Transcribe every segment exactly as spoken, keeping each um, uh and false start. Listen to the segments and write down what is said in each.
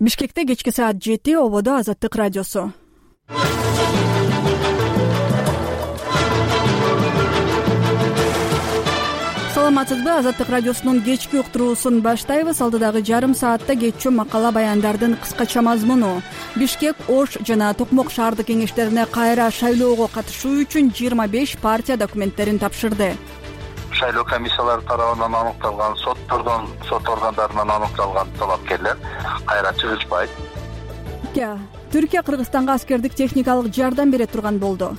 Бишкекте кечки саат жети, ободо Азаттык радиосу. Саламатсызбы? Азаттык радиосунун кечки уктуруусун баштайбыз. Алдыдагы жарым саатта кетчү макала баяндардын кыскача мазмуну. Бишкек, Ош жана Токмок шаардык кеңештерине кайра шайлоого катышуу үчүн жыйырма беш партия документтерин тапшырды. Шайлоо комиссиялары тарабынан аныкталган, соттордон, сот органдарынан аныкталган талапкерлер кайра чыгышпайт. Түркия Кыргызстанга аскердик техникалык жардам бере турган болду.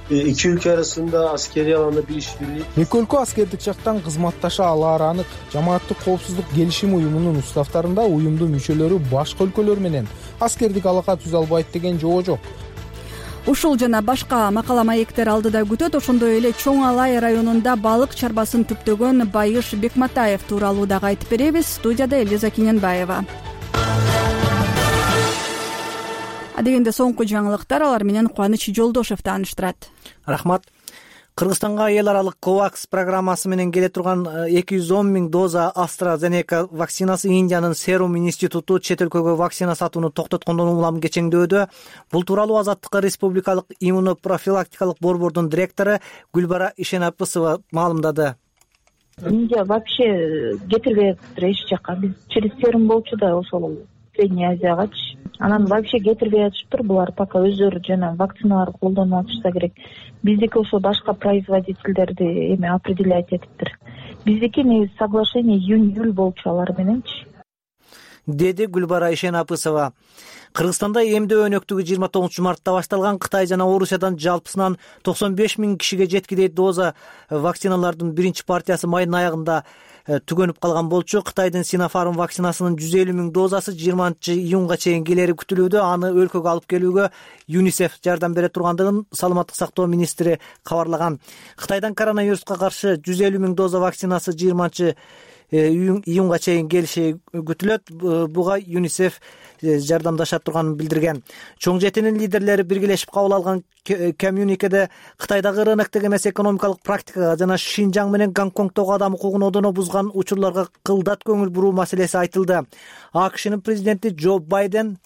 Эки өлкө арасында аскерий аланда билишпирlik. Эки өлкө аскердик жактан кызматташа алаары анык. Жамааттык коопсуздук келишим уюмунун уставтарында уюмдун мүчөлөрү башка өлкөлөр менен аскердик алака түзө албайт деген жобо жок. Ушул жана башка макала маектер алдыда күтөт. Ошондой эле Чоң Алай районунда балык чарбасын түптөгөн Байыш Бекматаев тууралуу дагы айтып беребиз. Студияда Элиза Киненбаева. Адегенде соңку жаңылыктар, алар менен Кубаныч Жолдошев тааныштырат. Рахмат. Кыргызстанга эл аралык ковакс программасы менен келе турган эки жүз он миң доза AstraZeneca вакцинасы Индиянын Serum институту чет өлкөгө вакцина сатууну токтоткондон улам кечеңдөөдө. Бул тууралуу Азаттыкка Республикалык иммунопрофилактикалык борбордун директору Гүлбара Ишенапысова маалымдады. Индия вообще кетирбей атыптыр эч жакка. Биз через Serum болчу да ошол Средний Азиягачы. Анан вообще кетирбей атышыптыр. Булар пока өздөрү жана вакциналар колдонуп атышса керек. Биздики ошо башка производительдерди эме определять этиптир. Биздики негизи соглашение июнь-июль болчу алар мененчи. Деди Гүлбара Ишенапысова. Кыргызстанда эмдөө өнөктүгү жыйырма тогузунчу мартта башталган. Кытай жана Орусиядан жалпысынан токсон беш миң кишиге жеткидей доза вакциналардын биринчи партиясы майдын аягында түгөнүп калган болчу. Кытайдын Sinopharm вакцинасынын жүз элүү миң дозасы жыйырманчы июнга чейин келери күтүлүүдө. Аны өлкөгө алып келүүгө ЮНИСЕФ жардам бере тургандыгын саламаттык сактоо министри кабарлаган. Кытайдан коронавируска каршы жүз элүү миң доза вакцинасы жыйырманчы июнга чейин келиши күтүлөт. Буга ЮНИСЕФ жардамдаша турганын билдирген. Чоң жетинин лидерлери биргелешип кабыл алган коммюникеде Кытайдагы рыноктук эмес экономикалык практикага жана Шинжаң менен Гонконгдогу адам укугун одоно бузган учурларга кылдат көңүл буруу маселеси айтылды. АКШнын президенти Джо Байден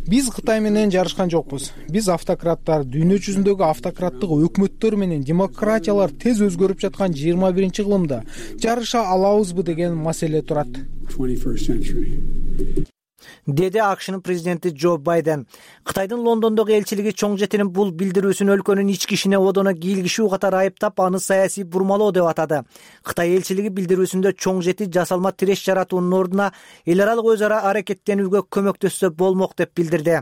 Биз Кытай менен жарышкан жокпуз. Биз автократтар, дүйнө жүзүндөгү автократтык өкмөттөр менен демократиялар тез өзгөрүп жаткан жыйырма биринчи кылымда жарыша алабызбы деген маселе турат. Деди АКШнын президенти Джо Байден. Кытайдын Лондондогу элчилиги чоң жетинин бул билдирүүсүн өлкөнүн ички ишине одоно кийлигишүү катары айыптап, аны саясий бурмалоо деп атады. Кытай элчилиги билдирүүсүндө чоң жети жасалма тиреш жаратуунун ордуна эл аралык өз ара аракеттенүүгө көмөктөшсө болмок деп билдирди.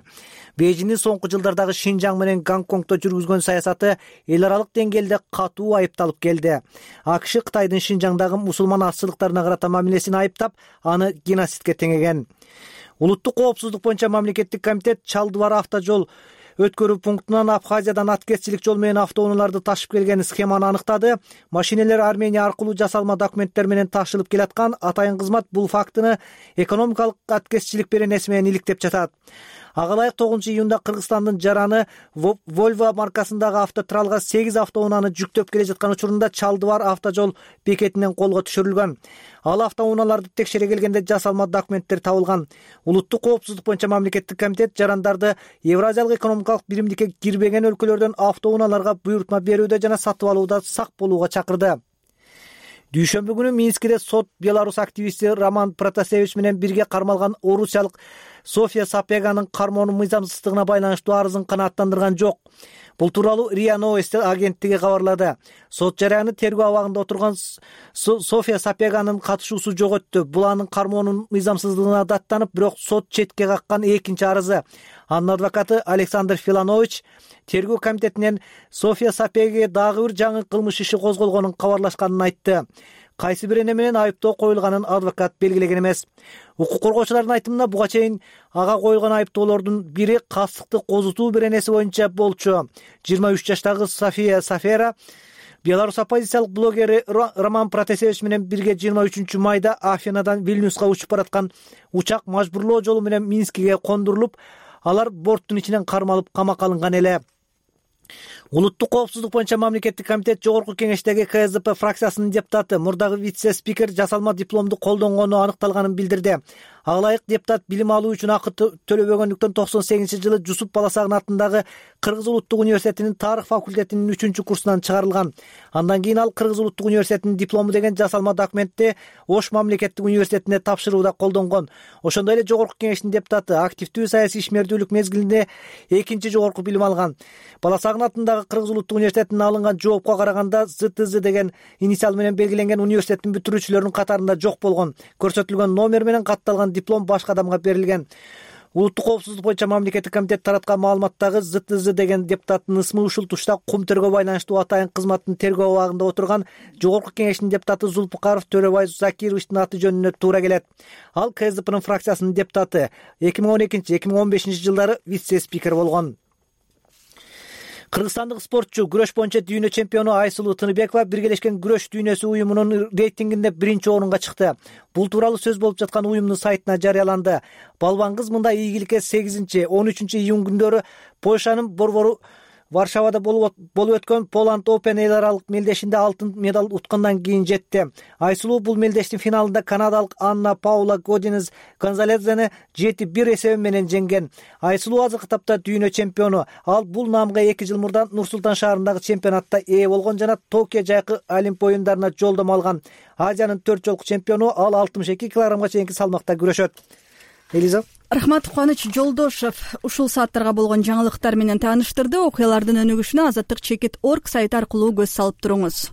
Бейжиңдин соңку жылдардагы Шинжаң менен Гонконгдо жүргүзгөн саясаты эл аралык деңгээлде катуу айыпталып келди. АКШ Кытайдын Шинжаңдагы мусулман азчылыктарына карата мамилесин айыптап, аны геноцидке теңеген. Улуттук коопсуздук боюнча мамлекеттик комитет Чалдыбар автожол өткөрүү пунктунан Абхазиядан аткезчилик жол менен автоунааларды ташып келген схеманы аныктады. Машинелер Армения аркылуу жасалма документтер менен ташылып келаткан. Атайын кызмат бул фактыны экономикалык аткезчилик беренеси менен иликтеп жатат. Ага ылайык тогузунчу июнда Кыргызстандын Жараны Volvo маркасындагы автотралга сегиз автоунааны жүктөп келе жаткан учурунда Чалдыбар автожол бекетинен колго түшүрүлгөн. Ал автоунааларды текшере келгенде жасалма документтер табылган. Улуттук коопсуздук боюнча мамлекеттик комитет жарандарды Евразиялык экономикалык биримдикке кирбеген өлкөлөрдөн автоунааларга буйрутма берүүдө жана сатып алууда сак болууга чакырды. Дүйшөмбү күнү Минскиде сот Беларус активисти Роман Протасевич менен бирге кармалган орусиялык София Сапеганын кармоонун мыйзамсыздыгына байланыштуу арызын канааттандырган жок. Бул тууралуу РИА Новости агенттиги кабарлады. Сот жараяны тергөө абагында отурган София Сапеганын катышуусу жок өттү. Бул анын кармоонун мыйзамсыздыгына даттанып, бирок сот четке каккан экинчи арызы. Анын адвокаты Александр Филанович тергөө комитетинен София Сапеге дагы бир жаңы кылмыш иши козголгонун кабарлашканын айтты. Кайсы бир эне менен айыптоо коюлганын адвокат белгилеген эмес. Укук коргоочулардын айтымында буга чейин ага коюлган айыптоолордун бири кастыкты козутуу беренеси боюнча болчу. жыйырма үч жаштагы София Сафера Беларусь оппозициялык блогери Роман Протасевич менен бирге жыйырма үчүнчү майда Афинадан Вильнюска учуп бараткан учак мажбурлоо жолу менен Минскиге кондурулуп, алар борттун ичинен кармалып камакка алынган эле. Улуттук коопсуздук боюнча мамлекеттик комитет жогорку кеңештеги ка эс дэ пэ фракциясынын депутаты мурдагы вице-спикер жасалма дипломду колдонгону аныкталганын билдирди. Ага ылайык депутат билим алуу үчүн акы төлөбөгөндүктөн токсон сегизинчи жылы Жусуп Баласагын атындагы Кыргыз улуттук университетинин тарых факультетинин үчүнчү курсунан чыгарылган. Андан кийин ал Кыргыз улуттук университетинин диплому деген жасалма документти Ош мамлекеттик университетине тапшырууда колдонгон. Ошондой эле жогорку кеңештин депутаты активдүү саясий ишмердүүлүк мезгилинде экинчи жогорку билим алган. Баласагын атындагы Кыргыз улуттук университетинен алынган жоопко караганда зэ тэ зэ деген инициал менен белгиленген университеттин бүтүрүүчүлөрүнүн катарында жок болгон. Көрсөтүлгөн номер менен катталган диплом башка адамга берилген. Улуттук коопсуздук боюнча мамлекеттик комитет тараткан маалыматтагы зэ тэ зэ деген депутаттын ысмы ушул тушта кум төргө байланыштуу атайын кызматтын тергөө абагында отурган жогорку кеңештин депутаты Зулпукаров Төрөбай Закировичтин аты жөнүнө туура келет. Ал ка эс дэ пэнин фракциясынын депутаты, эки миң он экинчи — эки миң он бешинчи жылдары вице-спикер болгон. Кыргызстандык спортчу күрөш боюнча дүйнө чемпиону Айсулуу Тыныбекова Биргелешкен күрөш дүйнөсү уюмунун рейтингинде биринчи орунга чыкты. Бул тууралуу сөз болуп жаткан уюмдун сайтына жарыяланды. Балбан кыз мында ийгиликке сегизинчи — он үчүнчү июнь күндөрү Польшанын Борбору Варшавада болуп өткөн Poland Open эл аралык мелдешинде алтын медаль уткандан кийин жетти. Айсулуу бул мелдештин финалында канадалык Анна Паула Годинес Гонзалезени жети бир эсеби менен жеңген. Айсулуу азыркы тапта дүйнө чемпиону. Ал бул наамга эки жыл мурда Нур-Султан шаарындагы чемпионатта ээ болгон жана Токио жайкы Олимп оюндарына жолдомо алган. Азиянын төрт жолку чемпиону, ал алтымыш эки килограммга чейинки салмакта күрөшөт. Элиза. Рахмат, Кубаныч Жолдошев ушул сааттарга болгон жаңылыктар менен тааныштырды. Окуялардын өнүгүшүнө азаттык чекит точка орг сайты аркылуу көз салып туруңуз.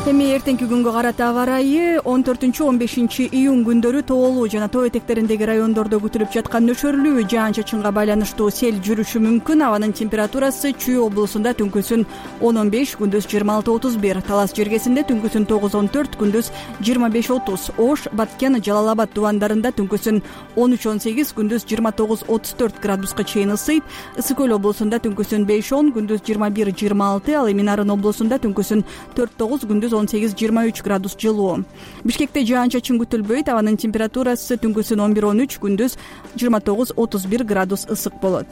Эми эртеңки күнгө карата аба ырайы он төртүнчү — он бешинчи июнь күндөрү тоолуу жана тоо этектериндеги райондордо күтүлүп жаткан нөшөрлүү жаан-чачынга байланыштуу сел жүрүшү мүмкүн. Абанын температурасы Чүй облусунда түнкүсүн он он беш, күндүз жыйырма алты — отуз бир, Талас жергесинде түнкүсүн тогуз — он төрт, күндүз жыйырма беш — отуз, Ош, Баткен, Жалал Абад дубандарында түнкүсүн он үч — он сегиз, күндүз жыйырма тогуз — отуз төрт градуска чейин ысыйт. Ысык көл облусунда түнкүсүн беш — он, күндүз жыйырма бир — жыйырма алты, ал эми Нарын облусунда түнкүсүн төрт — тогуз, күндүз он сегиз — жыйырма үч градус жылуу. Бишкекте жаан-чачын күтүлбөйт. Абанын температурасы түнкүсүн он бир — он үч, күндүз жыйырма тогуз — отуз бир градус ысык болот.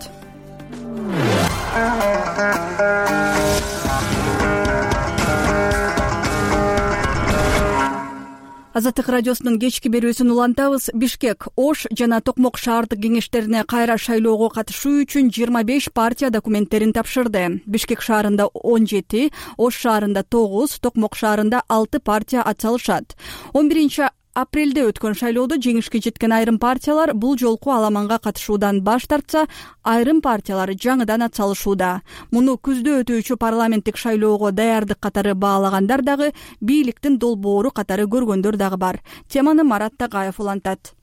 Азаттык радиосунун кечки берүүсүн улантабыз. Бишкек, Ош жана Токмок шаардык кеңештерине кайра шайлоого катышуу үчүн жыйырма беш партия документтерин тапшырды. Бишкек шаарында он жети, Ош шаарында тогуз, Токмок шаарында алты партия ат салышат. он биринчи апрелде өткөн шайлоодо жеңишке жеткен айрым партиялар бул жолку аламанга катышуудан баш тартса, айрым партиялар жаңыдан ат салышууда. Муну күздө өтүүчү парламенттик шайлоого даярдык катары баалагандар дагы, бийликтин долбоору катары көргөндөр дагы бар. Теманы Марат Тагаев улантат.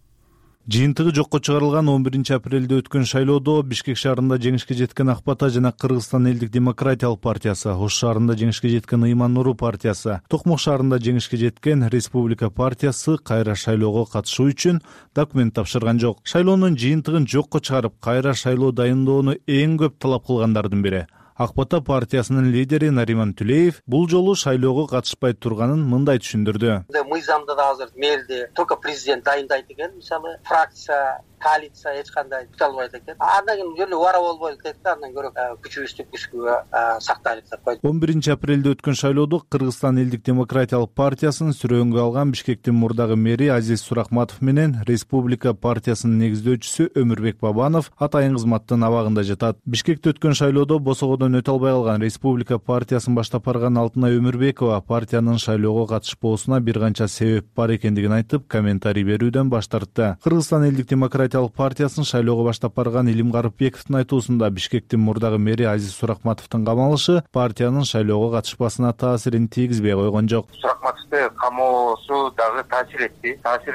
Жыйынтыгы жокко чыгарылган он биринчи апрелде өткөн шайлоодо Бишкек шаарында жеңишке жеткен Ак Бата жана Кыргызстан элдик демократиялык партиясы, Ош шаарында жеңишке жеткен Ыйман Нуру партиясы, Токмок шаарында жеңишке жеткен Республика партиясы кайра шайлоого катышуу үчүн документ тапшырган жок. Шайлоонун жыйынтыгын жокко чыгарып, кайра шайлоо дайындоону эң көп талап кылгандардын бири Ак Бата партиясынын лидери Нариман Түлеев бул жолу шайлоого катышпай турганын мындай түшүндүрдү. Мыйзамда да азыр мэрди только президент дайындайт экен, мисалы фракция, коалиция эч кандай күтө албайт экен. Андан кийин жөн эле убара болбойлук дейт да, андан көрө күчүбүздү күчкүгө сактайлык деп койду. он биринчи апрелде өткөн шайлоодо Кыргызстан элдик демократиялык партиясын сүрөөнгө алган Бишкектин мурдагы мэри Азиз Суракматов менен Республика партиясынын негиздөөчүсү Өмүрбек Бабанов атайын кызматтын абагында жатат. Бишкекте өткөн шайлоодо босогодон өтө албай калган Республика партиясын баштап барган Алтынай Өмүрбекова партиянын шайлоого катышпоосуна бир канча себеп бар экендигин айтып, комментарий берүүдөн баш тартты. Кыргызстан элдик демократиялык партиясын шайлоого баштап барган Илим Карыпбековдун айтуусунда Бишкектин мурдагы мэри Азиз Суракматовдун камалышы партиянын шайлоого катышпасына таасирин тийгизбей койгон жок. Суракматовду камоосу дагы таасир этти. Таасир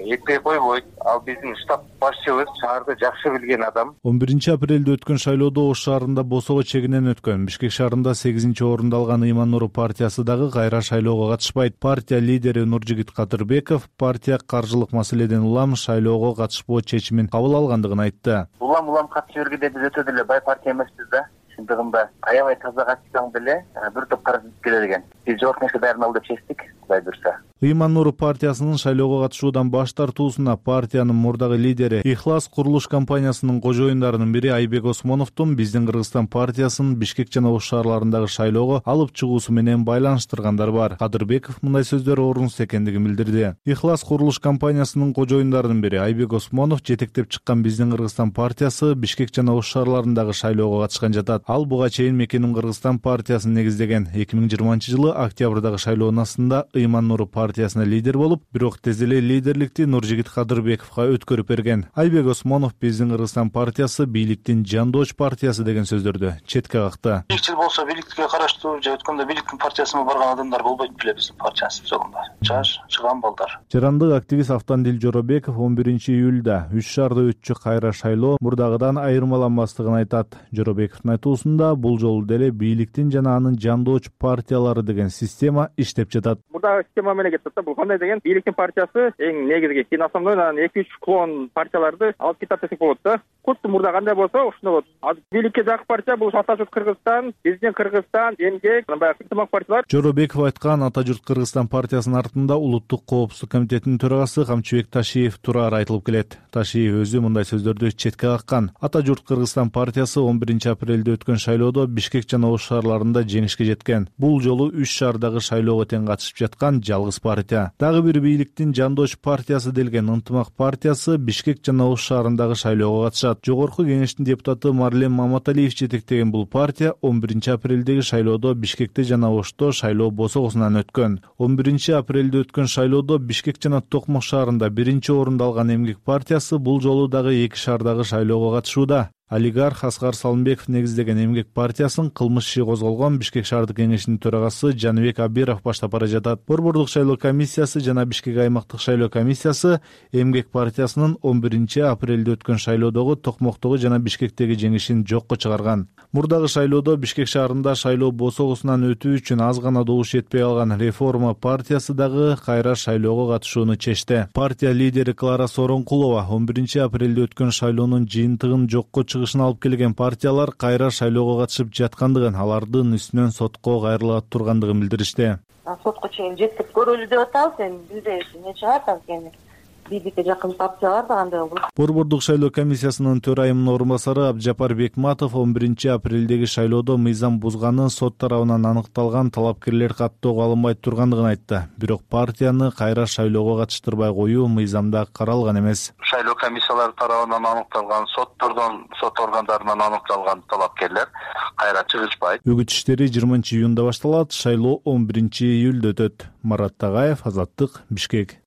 этпей койбойт. Ал биздин штаб башчыбыз, шаарды жакшы билген адам. он биринчи апрелде өткөн шайлоодо Ош шаарында босого чегинен өткөн. Бишкек шаарында сегизинчи орунду алган Ыйман Нуру партиясы дагы кайра шайлоого катышпайт. Партия лидери Нуржигит Кадырбеков партия каржылык маселеден улам шайлоого катышпоо чечимин кабыл алгандыгын айтты. Улам улам катышып бергенде биз өтө деле бай партия эмеспиз да. Шындыгында аябай таза катышсаң деле бир топ каражат келет экен. Биз жогорку кеңешке даярдалалы деп чечтик, Кудай буйрса. Ыйман Нур партиясынын шайлоого катышуудан баш тартуусуна партиянын мурдагы лидери Ихлас курулуш компаниясынын кожоюндарынын бири Айбек Осмоновдун биздин Кыргызстан партиясынын Бишкек жана Ош шаарларындагы шайлоого алып чыгуусу менен байланыштыргандар бар. Кадырбеков мындай сөздөр орунсуз экендигин билдирди. Ихлас курулуш компаниясынын кожоюндарынын бири Айбек Осмонов жетектеп чыккан биздин Кыргызстан партиясы Бишкек жана Ош шаарларындагы шайлоого катышкан жатат. Ал буга чейин Мекеним Кыргызстан партиясын негиздеген. эки миң жыйырманчы жылы октябрдагы шайлоонун астында Ыйман Нур партиясына лидер болуп, бирок тез эле лидерликти Нуржигит Кадырбековго өткөрүп берген. Айбек Осмонов биздин Кыргызстан партиясы бийликтин жандооч партиясы деген сөздөрдү четке какты. Бийликчил болсо бийликке караштуу же өткөндө бийликтин партиясына барган адамдар болбойт беле биздин партиянын жолунда. Жаш чыган балдар. Жарандык активист Автандил Жоробеков он биринчи июлда үч шаарда өтчү кайра шайлоо мурдагыдан айырмаланбастыгын айтат. Жоробековдун айтуусунда бул жолу деле бийликтин жана анын жандооч партиялары деген система иштеп жатат. Мурдагы система менен кетет да. Бул кандай деген бийликтин партиясы эң негизги кийин основной эки үч клон партияларды алып кетет десек болот да. Курсту мурда кандай болсо ошондой болот. Азыр бийликке жакын партия бул Атажурт Кыргызстан, Биздин Кыргызстан, Эмгек, баягы ынтымак партиялар. Жоробеков айткан Атажурт Кыргызстан партиясынын артында Улуттук коопсуздук комитетинин төрагасы Камчыбек Ташиев турары айтылып келет. Ташиев өзү мындай сөздөрдү четке каккан. Атажурт Кыргызстан партиясы он биринчи апрелде өткөн шайлоодо Бишкек жана Ош шаарларында жеңишке жеткен. Бул жолу үч шаардагы шайлоого тең катышып жаткан жалгыз партия. Дагы бир бийликтин жандооч партиясы делген Ынтымак партиясы Бишкек жана Ош шаарындагы шайлоого катышат. Жогорку кеңештин депутаты Марлен Маматалиев жетектеген бул партия он биринчи апрелдеги шайлоодо Бишкекте жана Ошто шайлоо босогосунан өткөн. он биринчи апрелде өткөн шайлоодо Бишкек жана Токмок шаарында биринчи орунду алган Эмгек партиясы бул жолу дагы эки шаардагы шайлоого катышууда. Олигарх Аскар Салымбеков негиздеген Эмгек партиясын кылмыш иши козголгон Бишкек шаардык кеңешинин төрагасы Жаныбек Абиров баштап бара жатат. Борбордук шайлоо комиссиясы жана Бишкек аймактык шайлоо комиссиясы Эмгек партиясынын он биринчи апрелде өткөн шайлоодогу Токмоктогу жана Бишкектеги жеңишин жокко чыгарган. Мурдагы шайлоодо Бишкек шаарында шайлоо босогосунан өтүү үчүн аз гана добуш жетпей калган Реформа партиясы дагы кайра шайлоого катышууну чечти. Партия лидери Клара Соронкулова он биринчи апрелде өткөн шайлоонун жыйынтыгын жокко чыгышын алып келген партиялар кайра шайлоого катышып жаткандыгын, алардын үстүнөн сотко кайрыла тургандыгын билдиришти. Сотко чейин жетип көрөлү деп атабыз, эми билбейбиз эмне чыгат анткени. Бийликке жакын партиялар да кандай болот. Борбордук шайлоо комиссиясынын төрайымынын орун басары Абджапар Бекматов он биринчи апрелдеги шайлоодо мыйзам бузганы сот тарабынан аныкталган талапкерлер каттоого алынбай тургандыгын айтты. Бирок партияны кайра шайлоого катыштырбай коюу мыйзамда каралган эмес. Шайлоо комиссиялары тарабынан аныкталган, соттордон, сот органдарынан аныкталган талапкерлер кайра чыгышпайт. Үгүт иштери жыйырманчы июнда башталат, шайлоо он биринчи июлда өтөт. Марат Тагаев, Азаттык, Бишкек.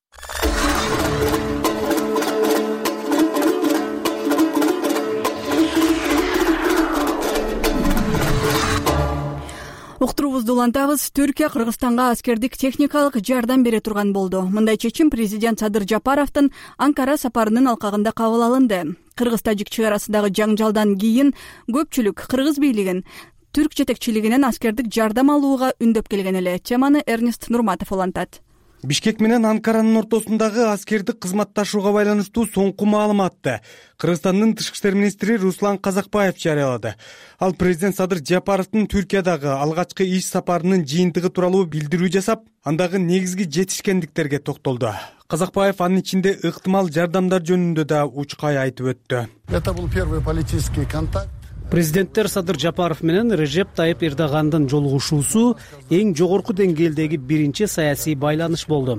Уктуруубузду улантабыз. Түркия Кыргызстанга аскердик техникалык жардам бере турган болду. Мындай чечим президент Садыр Жапаровдун Анкара сапарынын алкагында кабыл алынды. Кыргыз-тажик чек арасындагы жаңжалдан кийин көпчүлүк кыргыз бийлигин түрк жетекчилигинен аскердик жардам алууга үндөп келген эле. Теманы Эрнест Нурматов улантат. Бишкек менен Анкаранын ортосундагы аскердик кызматташууга байланыштуу соңку маалыматты Кыргызстандын тышкы иштер министри Руслан Казакбаев жарыялады. Ал президент Садыр Жапаровдун Түркиядагы алгачкы иш сапарынын жыйынтыгы тууралуу билдирүү жасап, андагы негизги жетишкендиктерге токтолду. Казакбаев анын ичинде ыктымал жардамдар жөнүндө да учкай айтып өттү. Это был первый политический контакт. Президенттер Садыр Жапаров менен Режеп Тайып Эрдогандын жолугушуусу эң жогорку деңгээлдеги биринчи саясий байланыш болду.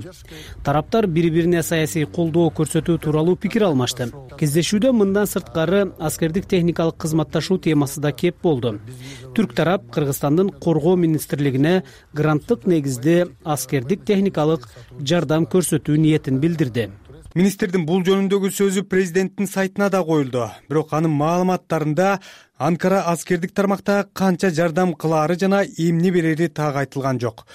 Тараптар бири-бирине саясий колдоо көрсөтүү тууралуу пикир алмашты. Кездешүүдө мындан сырткары аскердик техникалык кызматташуу темасы да кеп болду. Түрк тарап Кыргызстандын коргоо министрлигине гранттык негизде аскердик техникалык жардам көрсөтүү ниетин билдирди. Министрдин бул жөнүндөгү сөзү президенттин сайтына да коюлду. Бирок анын маалыматтарында Анкара аскердик тармакта канча жардам кылаары жана эмне берери так айтылган жок.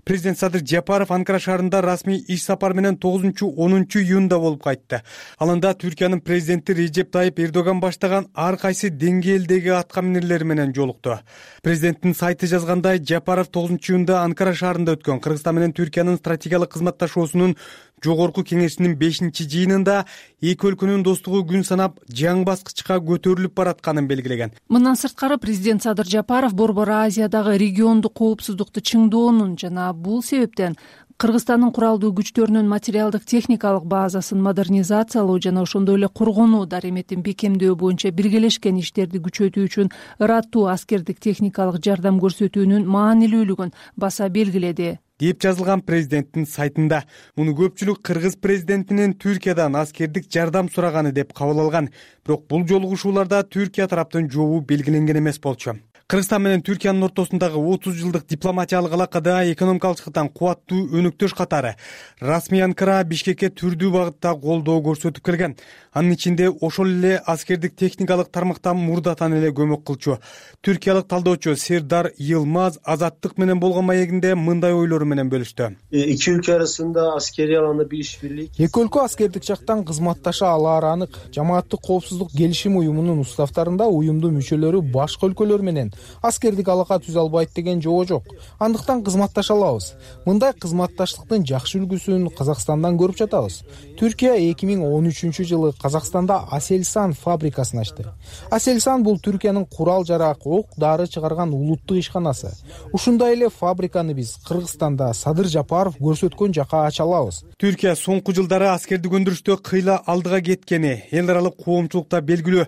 Президент Садыр Жапаров Анкара шаарында расмий иш сапар менен тогузунчу онунчу июнда болуп кайтты. Алында Түркиянын президенти Режеп Тайып Эрдоган баштаган ар кайсы деңгээлдеги атка минерлер менен жолукту. Президенттин сайты жазгандай, Жапаров тогузунчу июнда Анкара шаарында өткөн Кыргызстан менен Түркиянын стратегиялык кызматташуусунун жогорку кеңешинин бешинчи жыйынында эки өлкөнүн достугу күн санап жаңы баскычка көтөрүлүп баратканын белгилеген. Мындан сырткары президент Садыр Жапаров Борбор Азиядагы региондук коопсуздукту чыңдоонун жана бул себептен кыргызстандын куралдуу күчтөрүнүн материалдык техникалык базасын модернизациялоо жана ошондой эле коргонуу дареметин бекемдөө боюнча биргелешкен иштерди күчөтүү үчүн ыраттуу аскердик техникалык жардам көрсөтүүнүн маанилүүлүгүн баса белгиледи деп жазылган президенттин сайтында. Муну көпчүлүк кыргыз президентинин Түркиядан аскердик жардам сураганы деп кабыл алган. Бирок бул жолугушууларда Түркия тараптын жообу белгиленген эмес болчу. Кыргызстан менен Түркиянын ортосундагы отуз жылдык дипломатиялык алакада экономикалык жактан кубаттуу өнөктөш катары расмий Анкара Бишкекке түрдүү багытта колдоо көрсөтүп келген. Анын ичинде ошол эле аскердик техникалык тармактан мурдатан эле көмөк кылчу. Түркиялык талдоочу Сердар Йылмаз Азаттык менен болгон маегинде мындай ойлору менен бөлүштү. İki ülke arasında askeri alanda bir işbirliği. Эки өлкө аскердик жактан кызматташа алаары анык. Жамааттык коопсуздук келишим уюмунун уставтарында уюмдун мүчөлөрү башка өлкөлөр менен аскердик алака түзө албайт деген жобо жок. Андыктан кызматташа алабыз. Мындай кызматташтыктын жакшы үлгүсүн Казакстандан көрүп жатабыз. Түркия эки миң он үчүнчү жылы Казакстанда Аселсан фабрикасын ачты. Аселсан бул Түркиянын курал жарак, ок дары чыгарган улуттук ишканасы. Ушундай эле фабриканы биз Кыргызстанда Садыр Жапаров көрсөткөн жака ача алабыз. Түркия соңку жылдары аскердик өндүрүштө кыйла алдыга кеткени эл аралык коомчулукта белгилүү.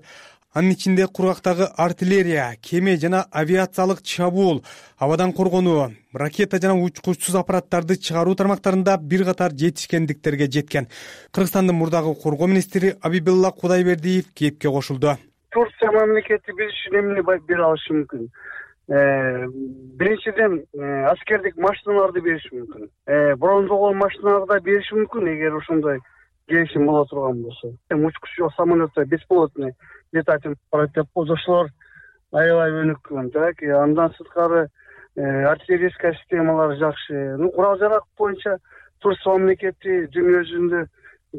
Анын ичинде кургактагы артиллерия, кеме жана авиациялык чабуул, абадан коргонуу, ракета жана учкучсуз аппараттарды чыгаруу тармактарында бир катар жетишкендиктерге жеткен. Кыргызстандын мурдагы коргоо министри Абибилла Кудайбердиев кепке кошулду. Турция мамлекети биз үчүн эмне бере алышы мүмкүн? Биринчиден аскердик машиналарды бериши мүмкүн. Бронзолгон машиналарды бериши мүмкүн эгер ошондой келишим боло турган болсо. Учкучсуз самолетто бесполотный летательный аппарат ошолор аябай өнүккөн. Так, андан сырткары артиллерийская системалары жакшы. Ну, курал жарак боюнча Турция мамлекети дүйнө жүзүндө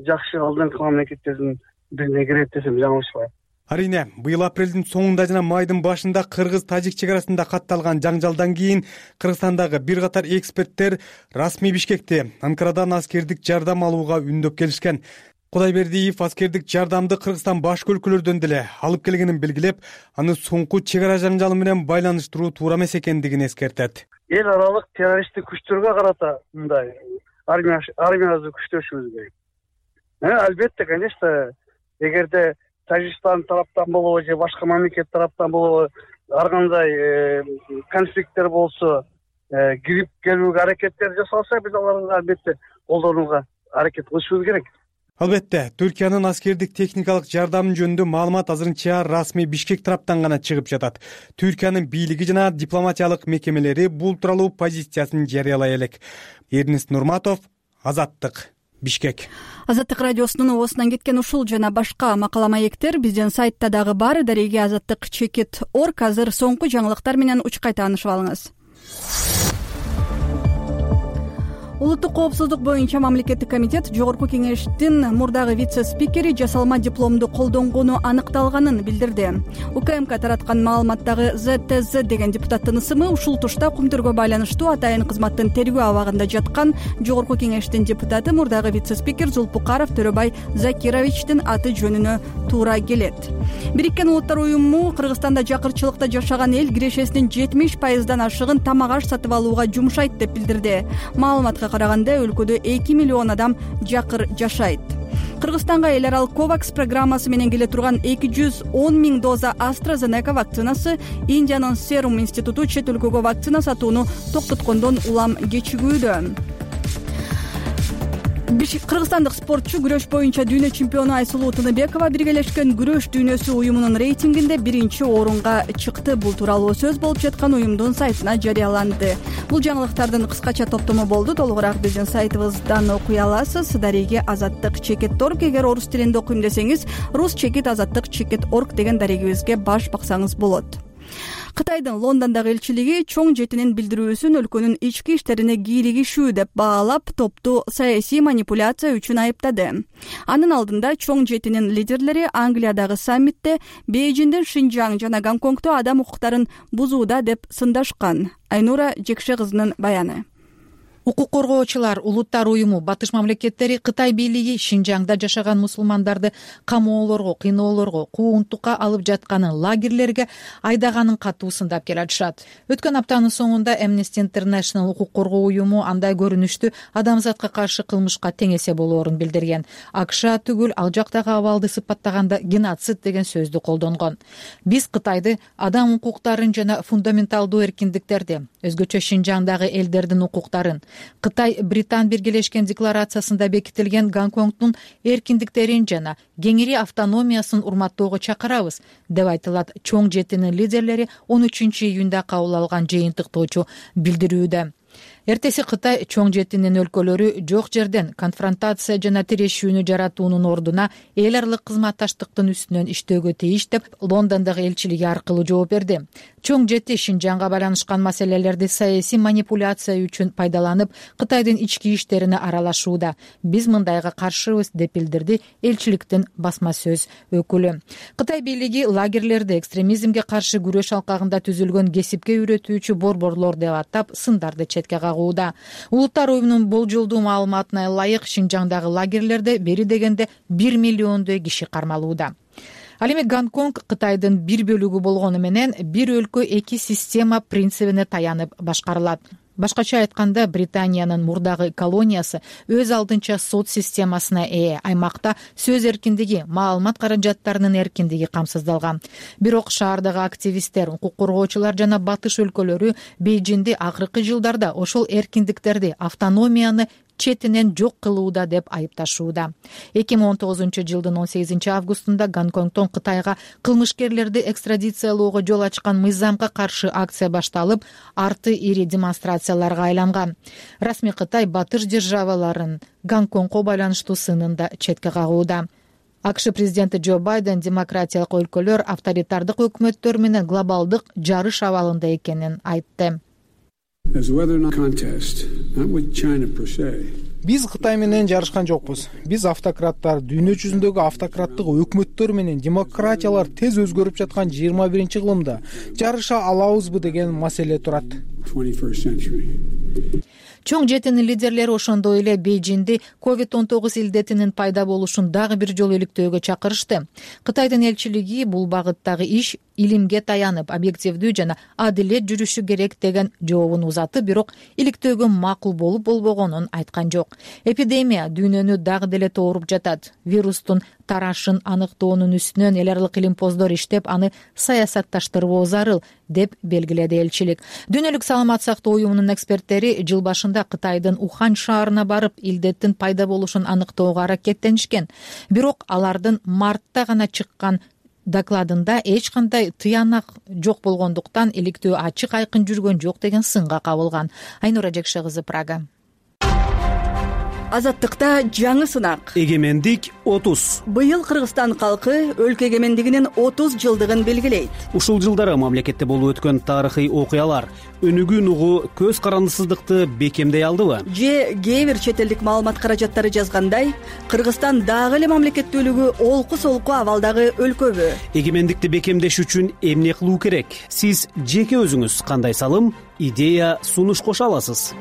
жакшы алдыңкы мамлекеттердин бирине кирет десем жаңылышпайм. Арине, быйыл апрелдин соңунда жана майдын башында кыргыз-тажик чек арасында катталган жаңжалдан кийин Кыргызстандагы бир катар эксперттер расмий Бишкекте Анкарадан аскердик жардам алууга үндөп келишкен. Кудайбердиев аскердик жардамды Кыргызстан башка өлкөлөрдөн деле алып келгенин белгилеп, аны соңку чек ара жаңжалы менен байланыштыруу туура эмес экендигин эскертет. Эл аралык террористтик күчтөргө карата мындай армия армиябызды күчтөшүбүз керек. Албетте, конечно, эгерде Тажикстан тараптан болобу же башка мамлекет тараптан болобу ар кандай конфликттер болсо, кирип келүүгө аракеттер жасалса, биз аларды албетте колдонууга аракет кылышыбыз керек. Албетте, Түркиянын аскердик техникалык жардамы жөнүндө маалымат азырынча расмий Бишкек тараптан гана чыгып жатат. Түркиянын бийлиги жана дипломатиялык мекемелери бул тууралуу позициясын жарыялай элек. Эрнест Нурматов, Азаттык, Бишкек. Азаттык радиосунун оосунан кеткен ушул жана башка макала маектер биздин сайтта дагы бар. Дареги азаттык чекит точка орг. Азыр соңку жаңылыктар менен учкай таанышып алыңыз. Улуттук коопсуздук боюнча мамлекеттик комитет жогорку кеңештин мурдагы вице-спикери жасалма дипломду колдонгону аныкталганын билдирди. УКМК тараткан маалыматтагы зэ тэ зэ деген депутаттын ысымы ушул тушта Кумтөргө байланыштуу атайын кызматтын тергөө абагында жаткан жогорку кеңештин депутаты мурдагы вице-спикер Зулпукаров Төрөбай Закировичтин аты жөнүнө туура келет. Бириккен Улуттар уюму Кыргызстанда жакырчылыкта жашаган эл кирешесинин жетимиш пайыздан ашыгын тамак аш сатып алууга жумшайт деп билдирди. Маалыматка караганда өлкөдө эки миллион адам жакыр жашайт. Кыргызстанга эл аралык ковакс программасы менен келе турган эки жүз он миң доза AstraZeneca вакцинасы Индиянын Serum институту чет өлкөгө вакцина сатууну токтоткондон улам кечигүүдө. Кыргызстандык спортчу күрөш боюнча дүйнө чемпиону Айсулуу Тыныбекова биргелешкен күрөш дүйнөсү уюмунун рейтингинде биринчи орунга чыкты. Бул тууралуу сөз болуп жаткан уюмдун сайтына жарыяланды. Бул жаңылыктардын кыскача топтому болду. Толугураак биздин сайтыбыздан окуй аласыз. Дареги азаттык чекит точка орг. Эгер орус тилинде окуйм десеңиз, рус чекит азаттык чекит точка орг деген дарегибизге баш баксаңыз болот. Кытайдын Лондондогу элчилиги чоң жетинин билдирүүсүн өлкөнүн ички иштерине кийлигишүү деп баалап, топту саясий манипуляция үчүн айыптады. Анын алдында чоң жетинин лидерлери Англиядагы саммитте Бейжиңдин Шинжаң жана Гонконгдо адам укуктарын бузууда деп сындашкан. Айнура Жекше кызынын баяны. Укук коргоочулар улуттар уюму батыш мамлекеттери Кытай бийлиги Шинжаңда жашаган мусулмандарды камоолорго, кыйноолорго, куугунтукка алып жатканын, лагерлерге айдаганын катуу сындап келатышат. Өткөн аптанын соңунда Amnesty International укук коргоо уюму андай көрүнүштү адамзатка каршы кылмышка тең эсе болоорун билдирген. АКШ түгүл ал жактагы абалды сыпаттаганда геноцид деген сөздү колдонгон. Биз Кытайды адам укуктарын жана фундаменталдуу эркиндиктерди, өзгөчө Шинжаңдагы элдердин укуктарын, Кытай Британ биргелешкен декларациясында бекитилген Гонконгдун эркиндиктерин жана кеңири автономиясын урматтоого чакырабыз, деп айтылат чоң жетинин лидерлери он үчүнчү июнда кабыл алган жыйынтыктоочу билдирүүдө. Эртеси Кытай чоң жетинин өлкөлөрү жок жерден конфронтация жана тирешүүнү жаратуунун ордуна эл аралык кызматташтыктын үстүнөн иштөөгө тийиш деп Лондондогу элчилиги аркылуу жооп берди. Чоң жети Шинжаңга байланышкан маселелерди саясий манипуляция үчүн пайдаланып, Кытайдын ички иштерине аралашууда. Биз мындайга каршыбыз, деп билдирди элчиликтин басма сөз өкүлү. Кытай бийлиги лагерлерди экстремизмге каршы күрөш алкагында түзүлгөн кесипке үйрөтүүчү борборлор деп атап, сындарды четке кагууда. Улуттар уюмунун болжолдуу маалыматына ылайык Шинжаңдагы лагерлерде бери дегенде бир миллиондой киши кармалууда. Ал эми Гонконг Кытайдын бир бөлүгү болгону менен бир өлкө эки система принцибине таянып башкарылат. Башкача айтканда, Британиянын мурдагы колониясы өз алдынча сот системасына ээ. Аймакта сөз эркиндиги, маалымат каражаттарынын эркиндиги камсыздалган. Бирок шаардагы активисттер, укук коргоочулар жана батыш өлкөлөрү Бейжинди акыркы жылдарда ошол эркиндиктерди, автономияны четинен жок кылууда деп айыпташууда. эки миң он тогузунчу жылдын он сегизинчи августунда Гонконгдон Кытайга кылмышкерлерди экстрадициялоого жол ачкан мыйзамга каршы акция башталып, арты ири демонстрацияларга айланган. Расмий Кытай батыш державаларын Гонконгго байланыштуу сынында четке кагууда. АКШ президенти Джо Байден демократиялык өлкөлөр авторитардык өкмөттөр менен глобалдык жарыш абалында экенин айтты. Биз Кытай менен жарышкан жокпуз. Биз автократтар, дүйнө жүзүндөгү автократтык өкмөттөр менен демократиялар тез өзгөрүп жаткан жыйырма биринчи кылымда жарыша алабызбы деген маселе турат. Чоң жетинин лидерлери ошондой эле Бейжинди ковид он тогуз илдетинин пайда болушун дагы бир жолу иликтөөгө чакырышты. Кытайдын элчилиги бул багыттагы иш илимге таянып, объективдүү жана адилет жүрүшү керек деген жообун узатып, бирок иликтөөгө макул болуп болбогонун айткан жок. Эпидемия дүйнөнү дагы деле тооруп жатат. Вирустун тарашын аныктоонун үстүнөн эл аралык илимпоздор иштеп, аны саясатташтырбоо зарыл, деп белгиледи элчилик. Дүйнөлүк саламат сактоо уюмунун эксперттери жыл башында Кытайдын Ухань шаарына барып, илдеттин пайда болушун аныктоого аракеттенишкен. Бирок алардын мартта гана чыккан докладында эч кандай тыянак жок болгондуктан иликтөө ачык айкын жүргөн жок деген сынга кабылган. Айнура Жекше кызы, Прага. Азаттыкта жаңы сынак. Эгемендик отуз. Быйыл Кыргызстан калкы өлкө эгемендигинин отуз жылдыгын белгилейт. Ушул жылдары мамлекетте болуп өткөн тарыхый окуялар өнүгүүн угу көз карандысыздыкты бекемдей алдыбы? Же кээ бир чет элдик маалымат каражаттары жазгандай, Кыргызстан дагы эле мамлекеттүүлүгү олку-солку абалдагы өлкөбү? Эгемендикти бекемдеш үчүн эмне кылуу керек? Сиз жеке өзүңүз кандай салым, идея, сунуш кошо аласыз?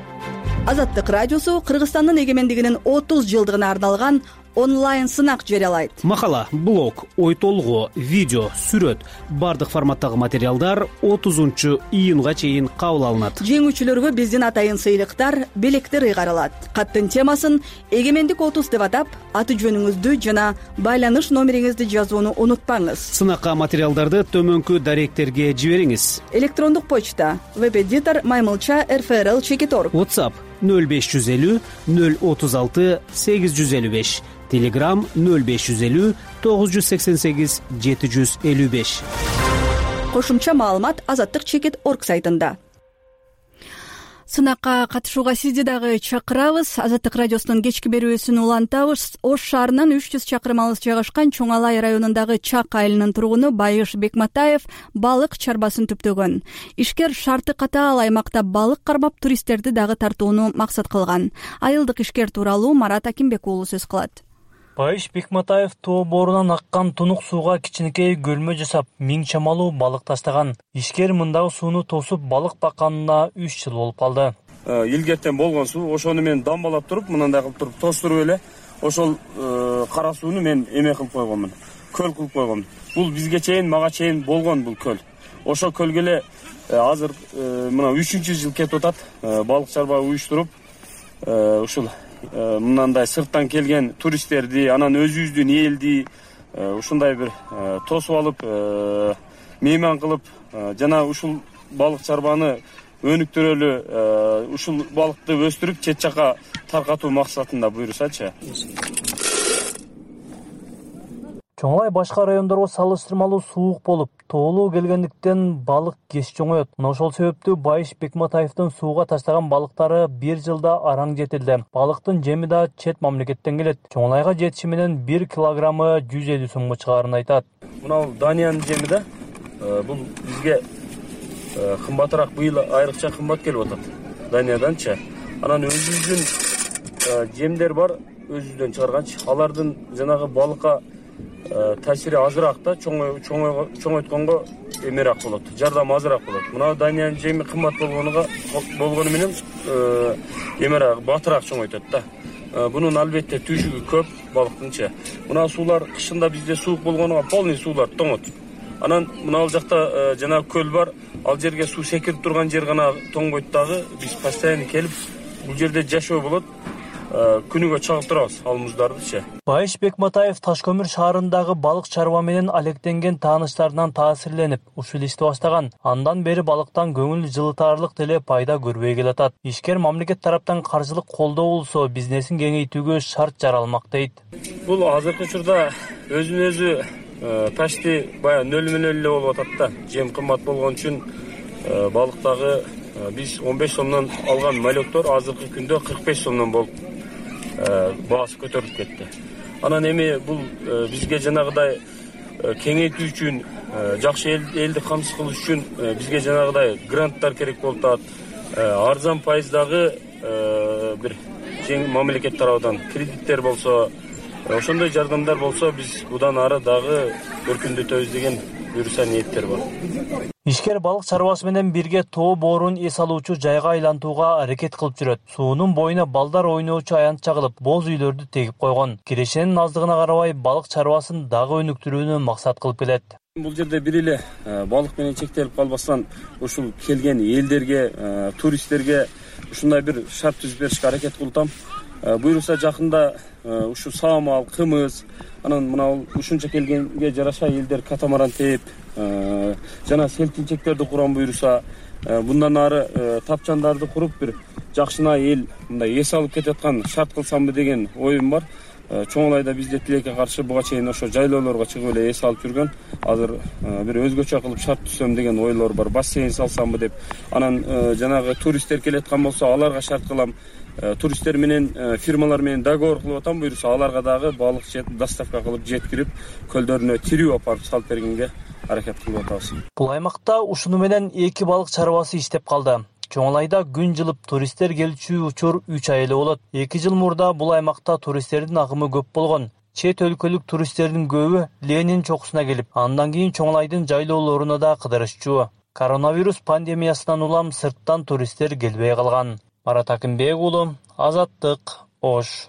Азаттык радиосу Кыргызстандын эгемендигинин отуз жылдыгына арналган онлайн сынак жарыялайт. Макала, блог, ой толгоо, видео, сүрөт, бардык форматтагы материалдар отузунчу июнга чейин кабыл алынат. Жеңүүчүлөргө биздин атайын сыйлыктар, белектер ыйгарылат. Каттын темасын эгемендик отуз деп атап, аты жөнүңүздү жана байланыш номериңизди жазууну унутпаңыз. Сынакка материалдарды төмөнкү даректерге жибериңиз. Электрондук почта веб-эдитор маймылча эр эф эр эл чекит точка орг. WhatsApp нөл беш жүз элүү нөл отуз алты сегиз жүз элүү беш. Telegram нөл беш жүз элүү тогуз жүз сексен сегиз жети жүз элүү беш. Кошумча маалымат азаттык чекит точка орг сайтында. Сынакка катышууга сизди дагы чакырабыз. Азаттык радиосунун кечки берүүсүн улантабыз. Ош шаарынан үч жүз чакырым алыс жайгашкан Чоң Алай районундагы Чак айылынын тургуну Байыш Бекматаев балык чарбасын түптөгөн. Ишкер шарты катаал аймакта балык кармап туристтерди дагы тартууну максат кылган. Айылдык ишкер тууралуу Марат Акимбек уулу сөз кылат. Байыш Бекматаев тоо боорунан аккан тунук сууга кичинекей көлмө жасап, миң чамалуу балык таштаган. Ишкер мындагы сууну тосуп балык бакканына үч жыл болуп калды. илгертен болгон суу, ошону мен дамбалап туруп, мындай кылып туруп тостуруп эле ошол кара сууну мен эме кылып койгонмун, көл кылып койгонмун. Бул бизге чейин, мага чейин болгон бул көл. Ошо көлгө эле азыр мына үчүнчү жыл кетип атат. Балык чарба уюштуруп, ушул мындай сырттан келген туристтерди, анан өзүбүздүн элди ушундай бир тосуп алып, мейман кылып, жана ушул балык чарбаны өнүктүрөлү, ушул балыкты өстүрүп чет жака таркатуу максатында буюрсачы. Чоңлай башка райондорго салыштырмалуу суук болуп, тоолуу келгендиктен балык кеч чоңоет. Мына ошол себептүү Байыш Бекматаевдин сууга таштаган балыктары бир жылда араң жетилди. Балыктын жеми да чет мамлекеттен келет. Чоңлайга жетиши менен бир килограммы жүз элүү сомго чыгаарын айтат. Мына Даниянын жеми да, бул бизге кымбатыраак, быйыл айрыкча кымбат келип атат Данияданчы. Анан өзүбүздүн жемдер бар, өзүбүздөн чыгарганчы. Алардын жанагы балыкка таасири азыраак да, чоңойтконго эмерээк болот, жардам азыраак болот. Мына Даниянын жеми кымбат болгонуга болгону менен эмерээк, батыраак чоңойтот да. Бунун албетте түйшүгү көп балыктынчы. Мына суулар кышында бизде суук болгонуга полный суулар тоңот. Анан мына ал жакта жана көл бар, ал жерге суу секирип турган жер гана тоңбойт дагы. Биз постоянно келип бул жерде жашоо болот. Күнүгө чагып турабыз ал муздардычы. Байыш Бекматаев Ташкөмүр шаарындагы балык чарба менен алектенген тааныштарынан таасирленип, ушул ишти баштаган. Андан бери балыктан көңүл жылытаарлык деле пайда көрбөй келатат. Ишкер мамлекет тараптан каржылык колдоо болсо, бизнесин кеңейтүүгө шарт жаралмак дейт. Бул азыркы учурда өзүн өзү почти баягы нөл менен эле болуп атат да. Жем кымбат болгон үчүн балыктагы биз он беш сомдон алган малектор азыркы күндө кырк беш сомдон болуп баасы көтөрүлүп кетти. Анан эми бул бизге жанагыдай кеңейтүү үчүн, жакшы элди камсыз кылыш үчүн бизге жанагыдай гранттар керек болуп атат. Арзан пайыздагы бир мамлекет тарабынан кредиттер болсо, ошондой жардамдар болсо, биз будан ары дагы өркүндөтөбүз деген буюрса ниеттер бар. Ишкер балык чарбасы менен бирге тоо боорун эс алуучу жайга айлантууга аракет кылып жүрөт. Суунун боюна балдар ойноочу аянт чагылып, боз үйлөрдү тегип койгон. Кирешенин аздыгына карабай балык чарбасын дагы өнүктүрүүнү максат кылып келет. Бул жерде бир эле балык менен чектелип калбастан, ушул келген элдерге, туристтерге ушундай бир шарт түзүп беришке аракет кылтам. Буюрса жакында ушу саамал, кымыз, анан мына ушунча келгенге жараша элдер катамаран тээп, жана селтинчектерди курам буюрса, bundan ары тапчандарды куруп бир жакшына эл мындай эс алып кетип аткан шарт кылсамбы деген оюм бар. Чоңлайда бизде тилекке каршы буга чейин ошо жайлоолорго чыгып эле эс алып жүргөн. Азыр бир өзгөчө кылып шарт түзсөм деген ойлор бар. Бассейн салсамбы деп. Анан жанагы туристтер келеткан болсо, аларга шарт кылам. Туристтер менен, фирмалар менен договор кылып атам, буюрса аларга дагы балык доставка кылып жеткирип, көлдөрүнө тирүү апарып салып бергенге аракет кылып атабыз. Бул аймакта ушуну менен эки балык чарбасы иштеп калды. Чоңлайда күн жылып туристтер келчү учур үч ай эле болот. эки жыл мурда бул аймакта туристтердин агымы көп болгон. Чет өлкөлүк туристтердин көбү Ленин чокусуна келип, андан кийин Чоңлайдын жайлоолоруна да кыдырышчу. Коронавирус пандемиясынан улам сырттан туристтер келбей калган. Марат Акимбек уулу, Азаттык, Ош.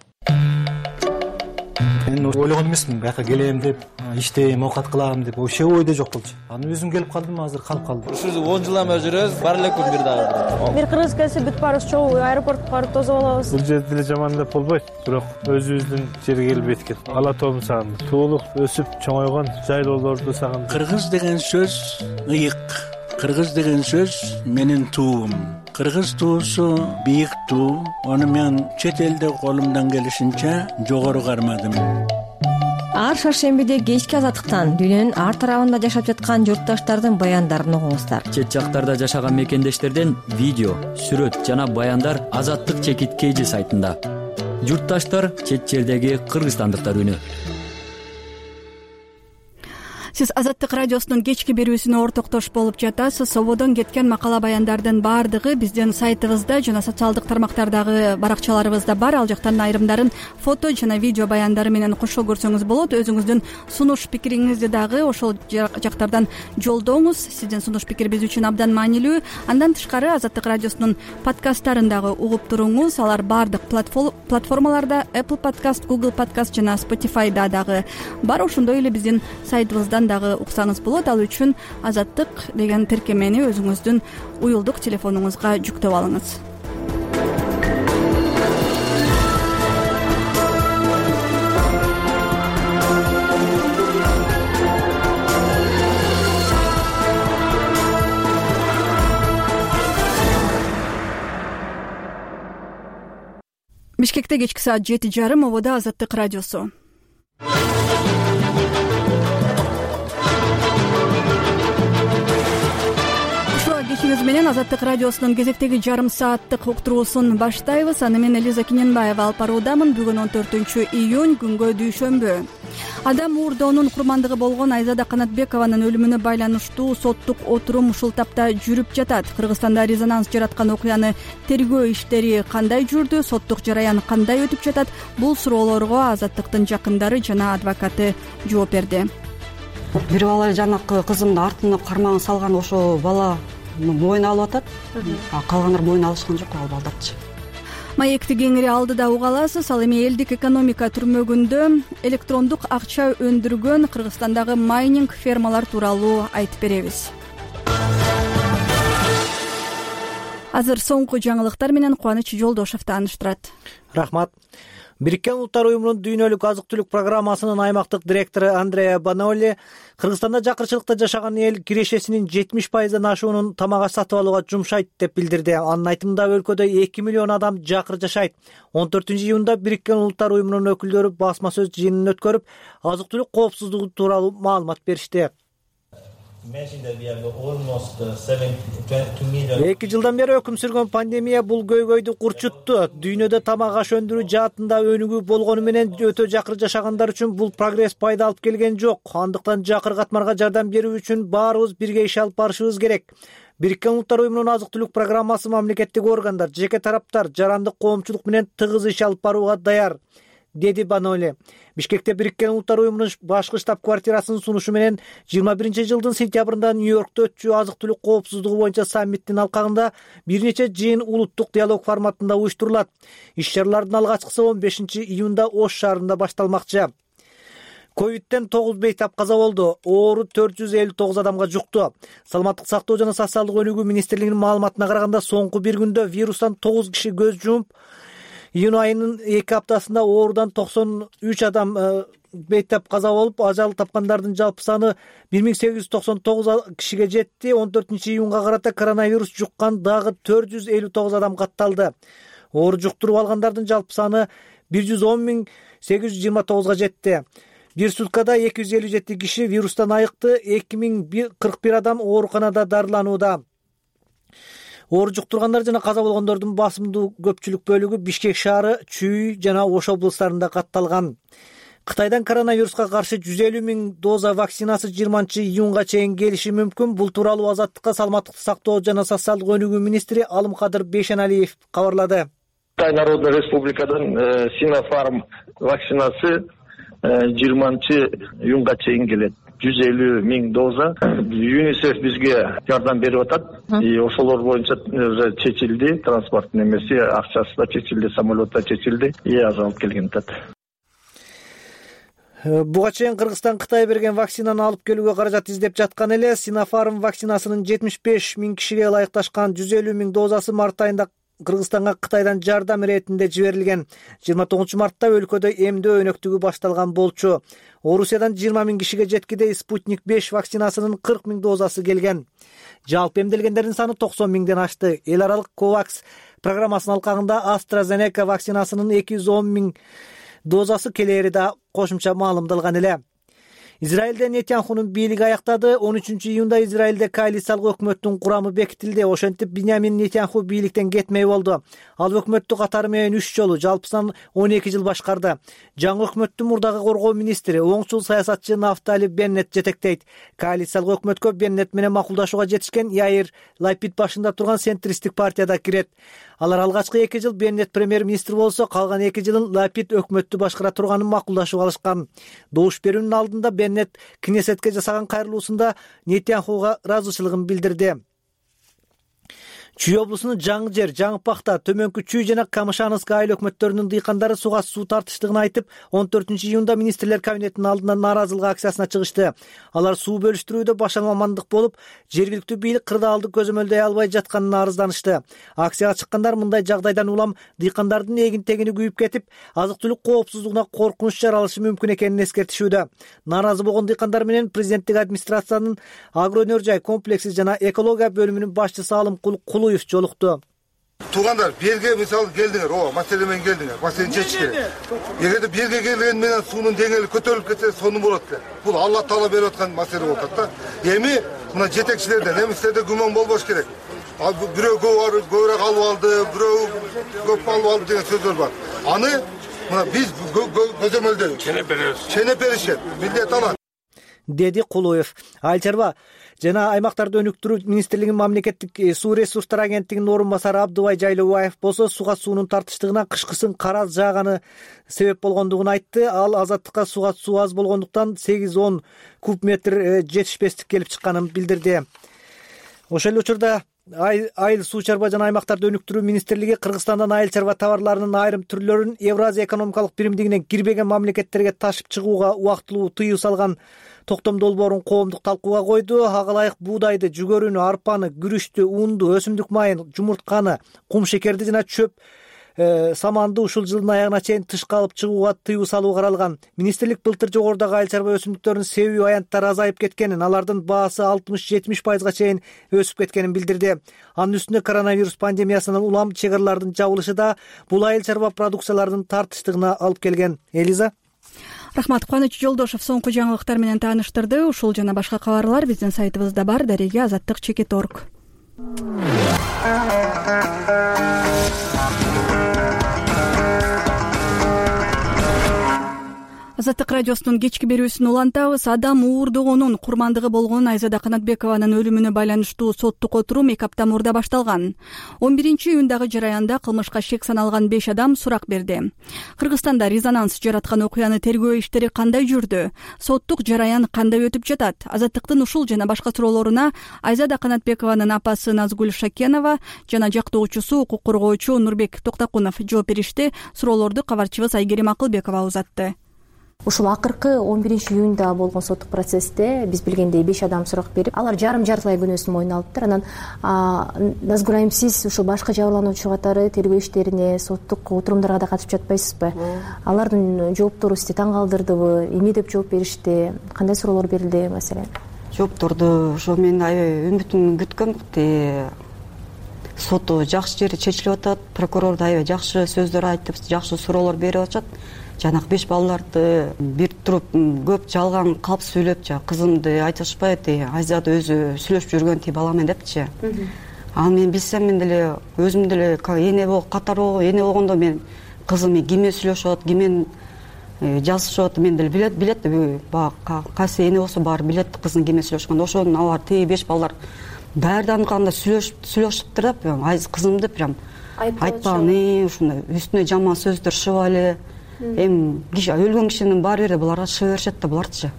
Мен ойлогон эмесмин, бияка келем деп, иштейм, оокат кылам деп, ошо ойдо жок болчу. Анан өзүм келип калдым, азыр калып калдым. Ушул он жылдан бери жүрөбүз, бар эле күн бир дагы. Бир кыргыз келсе бүт баарыбыз чогуу аэропортко барып тосуп алабыз. Бул жерде деле жаман деп болбойт, бирок өзүбүздүн жерге келип эткен. Ала тоом сагындым. Туулук өсүп чоңойгон жайлоолорду сагындым. Кыргыз деген сөз ыйык. Кыргыз деген сөз менин туум. Кыргыз туусу бийик туу. Аны мен чет элде колумдан келишинче жогору кармадым. Ар шаршембиде кечки азаттыктан дүйнөнүн ар тарабында жашап жаткан журтташтардын баяндарын угуңуздар. Чет жактарда жашаган мекендештерден видео, сүрөт жана баяндар Азаттык чекит кей жи сайтында. Журтташтар чет жердеги кыргызстандыктар үнү. Сиз Азаттык радиосунун кечки берүүсүнө ортоктош болуп жатасыз. Сободон кеткен макала баяндардын баардыгы биздин сайтыбызда жана социалдык тармактардагы баракчаларыбызда бар. Ал жактан айрымдарын фото жана видео баяндары менен кошо көрсөңүз болот. Өзүңүздүн сунуш пикириңизди дагы ошол жактардан жолдоңуз. Сиздин сунуш пикир биз үчүн абдан маанилүү. Андан тышкары Азаттык радиосунун подкасттарын дагы угуп туруңуз. Алар баардык платформаларда Apple Podcast, Google Podcast жана Spotify'да дагы бар. Ошондой эле биздин сайтыбыздан дагы уксаңыз болот. Ал үчүн Азаттык деген тиркемени өзүңүздүн уюлдук телефонуңузга жүктөп алыңыз. Бишкекте кечки саат жети жарым ободо Азаттык радиосу. Кечиңиз менен Азаттык радиосунун кезектеги жарым сааттык уктуруусун баштайбыз. Аны мен Элиза Киненбаева алып баруудамын. Бүгүн он төртүнчү июнь, күнгө дүйшөмбү. Адам уурдоонун курмандыгы болгон Айзада Канатбекованын өлүмүнө байланыштуу соттук отурум ушул тапта жүрүп жатат. Кыргызстанда резонанс жараткан окуяны тергөө иштери кандай жүрдү, соттук жараян кандай өтүп жатат? Бул суроолорго Азаттыктын жакындары жана адвокаты жооп берди. Бир бала жанакы кызымдын артына кармагын салган ошол бала мойун алып атат, калгандар мойун алышкан жок ал балдарчы. Маекти кеңири алдыда уга аласыз. Ал эми элдик экономика түрмөгүндө электрондук акча өндүргөн Кыргызстандагы майнинг фермалар тууралуу айтып беребиз. Азыр соңку жаңылыктар менен Кубаныч Жолдошев тааныштырат. Рахмат. Бириккен Улуттар уюмунун дүйнөлүк азык-түлүк программасынын аймактык директору Андреа Баноли Кыргызстанда жакырчылыкта жашаган эл кирешесинин жетимиш пайыздан ашуунун тамак-аш сатып алууга жумшайт деп билдирди. Анын айтымында өлкөдө эки миллион адам жакыр жашайт. он төртүнчү июнда Бириккен Улуттар уюмунун өкүлдөрү басма сөз жыйынын өткөрүп, азык-түлүк коопсуздугу тууралуу маалымат беришти. эки жылдан бери өкүм сүргөн пандемия бул көйгөйдү курчутту. Дүйнөдө тамак аш өндүрүү жаатында өнүгүү болгону менен өтө жакыр жашагандар үчүн бул прогресс пайда алып келген жок. Андыктан жакыр катмарга жардам берүү үчүн баарыбыз бирге иш алып барышыбыз керек. Бириккен Улуттар уюмунун азык-түлүк программасы мамлекеттик органдар, жеке тараптар, жарандык коомчулук менен тыгыз иш алып барууга даяр, деди Баноли. Бишкекте Бириккен Улуттар уюмунун башкы штаб-квартирасынын сунушу менен жыйырма биринчи жылдын сентябрында Нью-Йоркто өтчү азык-түлүк коопсуздугу боюнча саммиттин алкагында бир нече жыйын улуттук диалог форматында уюштурулат. Иш-чаралардын алгачкысы он бешинчи июнда Ош шаарында башталмакчы. Ковидтен тогуз бейтап каза болду. Оору төрт жүз элүү тогуз адамга жукту. Саламаттык сактоо жана социалдык өнүгүү министрлигинин маалыматына караганда соңку бир күндө вирустан тогуз киши көз жумуп, июнь айынын эки аптасында оорудан токсон үч адам бейтап каза болуп, ажал тапкандардын жалпы саны бир миң сегиз жүз токсон тогуз кишиге жетти. он төртүнчү июнга карата коронавирус жуккан дагы төрт жүз элүү тогуз адам катталды. Оору жуктуруп алгандардын жалпы саны бир жүз он миң сегиз жүз жыйырма тогузга жетти. Бир суткада эки жүз элүү жети киши вирустан айыкты, эки миң кырк бир адам ооруканада дарыланууда. Оору жуктургандар жана каза болгондордун басымдуу көпчүлүк бөлүгү Бишкек шаары, Чүй жана Ош облустарында катталган. Кытайдан коронавируска каршы жүз элүү миң доза вакцинасы жыйырманчы июнга чейин келиши мүмкүн. Бул тууралуу Азаттыкка саламаттыкты сактоо жана социалдык өнүгүү министри Алымкадыр Бейшеналиев кабарлады. Кытай Народный Республикадан Синофарм вакцинасы жыйырманчы июнга чейин келет. жүз элүү миң доза. ЮНИСЕФ бизге жардам берип атат. И ошолор боюнча чечилди, транспорттун эмеси, акчасы да чечилди, самолет да чечилди. И азалып келген атат. Буга чейин Кыргызстан Кытай берген вакцинаны алып келүүгө каражат издеп жаткан эле. Синофарм вакцинасынын жетимиш беш миң кишиге ылайыкташкан жүз элүү миң дозасы март айында Кыргызстанга Кытайдан жардам иретинде жиберилген. жыйырма тогузунчу мартта өлкөдө эмдөө өнөктүгү башталган болчу. Орусиядан жыйырма миң кишиге жеткиде Спутник беш вакцинасынын кырк миң дозасы келген. Жалпы эмделгендердин саны токсон миңден ашты. Эл аралык Ковакс программасынын алкагында AstraZeneca вакцинасынын эки жүз он миң дозасы келери да кошумча маалымдалган эле. Израилде Нетаньяхунун бийлиги аяктады. он үчүнчү июнда Израилде коалициялык өкмөттүн курамы бекитилди. Ошентип Биньямин Нетаньяху бийликтен кетмей болду. Ал өкмөттү катары менен үч жолу, жалпысынан он эки жыл башкарды. Жаңы өкмөттү мурдагы коргоо министри, оңчул саясатчы Нафтали Беннет жетектейт. Коалициялык өкмөткө Беннет менен макулдашууга жетишкен Яир Лапид башында турган центристтик партияда кирет. Алар алгачкы эки жыл Беннет премьер-министр болсо, калган эки жылын Лапид өкмөттү башкара турганын макулдашууга алышкан. Добуш берүүнүн алдында Беннет Кнессетке жасаган кайрылуусунда Нетаньяхуга ыраазычылыгын билдирди. Чүй облусунун Жаңы жер, Жаңы Пахта, Төмөнкү Чүй жана Камышановск айыл өкмөттөрүнүн дыйкандары суга суу тартыштыгын айтып, он төртүнчү июнда министрлер кабинетинин алдына нааразылык акциясына чыгышты. Алар суу бөлүштүрүүдө башалмамандык болуп, жергиликтүү бийлик кырдаалды көзөмөлдөй албай жатканына арызданышты. Акцияга чыккандар мындай жагдайдан улам дыйкандардын эгин-тегини күйүп кетип, азык-түлүк коопсуздугуна коркунуч жаралышы мүмкүн экенин эскертишүүдө. Нааразы болгон дыйкандар менен президенттик администрациянын агро өнөр жай комплекси жана экология бөлүмүнүн башчысы Алымкул жолукту. Туугандар, берге мисалы келдиңер, ооба, маселе менен келдиңер, маселени чечиш керек. Эгерде берге келген менен суунун деңгээли көтөрүлүп кетсе, сонун болот да. Бул Алла Таала берип аткан маселе болуп атат да. Эми мына жетекчилерден, эмистерде күмөн болбош керек. Ал бирөө көбүрөөк алып алды, бирөө көп алып алды деген сөздөр бар. Аны мына биз көзөмөлдөйбүз. Ченеп беребиз. Ченеп беришет. Милдет алат. Деди Кулуев. Айыл чарба жана аймактарды өнүктүрүү министрлигинин мамлекеттик суу ресурстары агенттигинин орун басары Абдыбай Жайлыбаев болсо суга суунун тартыштыгына кышкысын караз жааганы себеп болгондугун айтты. Ал азаттыкка суга суу аз болгондуктан сегиз он куб метр жетишпестик келип чыкканын билдирди. Ошол эле учурда Айыл суу чарба жана аймактарды өнүктүрүү министрлиги Кыргызстандан айыл чарба товарларынын айрым түрлөрүн Евразия экономикалык биримдигинен кирбеген мамлекеттерге ташып чыгууга убактылуу тыюу салган токтом долбоорун коомдук талкууга койду. Ага ылайык буудайды, жүгөрүнү, арпаны, күрүчтү, унду, өсүмдүк майын, жумуртканы, кум шекерди жана чөп саманды ушул жылдын аягына чейин тышка алып чыгууга тыюу салуу каралган. Министрлик былтыр жогорудагы айыл чарба өсүмдүктөрүнүн себүү аянттары азайып кеткенин, алардын баасы алтымыш жетимиш пайызга чейин өсүп кеткенин билдирди. Анын үстүнө коронавирус пандемиясынан улам чек аралардын жабылышы да бул айыл чарба продукцияларынын тартыштыгына алып келген. Элиза. Рахмат. Кубаныч Жолдошов соңку жаңылыктар менен тааныштырды. Ушул жана башка кабарлар биздин сайтыбызда бар. Дареге азаттык чекит точка орг. Азаттык радиосунун кечки берүүсүн улантабыз. Адам уурдогонун курмандыгы болгон Айзада Канатбекованын өлүмүнө байланыштуу соттук отурум эки апта мурда башталган. он биринчи июндагы жараянда кылмышка шек саналган беш адам сурак берди. Кыргызстанда резонанс жараткан окуяны тергөө иштери кандай жүрдү? Соттук жараян кандай өтүп жатат? Азаттыктын ушул жана башка суроолоруна Айзада Канатбекованын апасы Назгүл Шакенова жана жактоочусу укук коргоочу Нурбек Токтакунов жооп беришти. Суроолорду кабарчыбыз Айгерим Акылбекова узатты. Ушул акыркы он биринчи июнда болгон соттук процессте биз билгендей беш адам сурак берип, алар жарым жартылай күнөөсүн мойнуна алыптыр. Анан Назгүл айым, сиз ушул башка жабырлануучу катары тергөө иштерине, соттук отурумдарга да катышып жатпайсызбы? Алардын жооптору сизди таң калтырдыбы? Эмне деп жооп беришти? Кандай суроолор берилди маселен? Жоопторду ошо мен аябай үмүтүм күткөм. Соту жакшы жери чечилип атат, прокурор да аябай жакшы сөздөр айтып, жакшы суроолор берип атышат. Жанагы беш балдарды бир туруп көп жалган калп сүйлөп, жа кызымды айтышпайт, Айзада өзү сүйлөшүп жүргөн ти баламен депчи. Ал мен билсем, мен деле өзүм деле эне болуп катары эне болгондо мен кызым киммен сүйлөшөт, киммен жазышат, мен деле билет билет баягы кайсы эне болсо баары билет кызын киммен сүйлөшкөндө. Ошондон алар ти беш балдар баардыгын кандай сүйлөшүп сүйлөшүптүр деп, Айз кызымды прям айтпагын, ушундай үстүнө жаман сөздөр шыба эле. Эми өлгөн кишинин баары бир буларга шыга беришет да буларчы.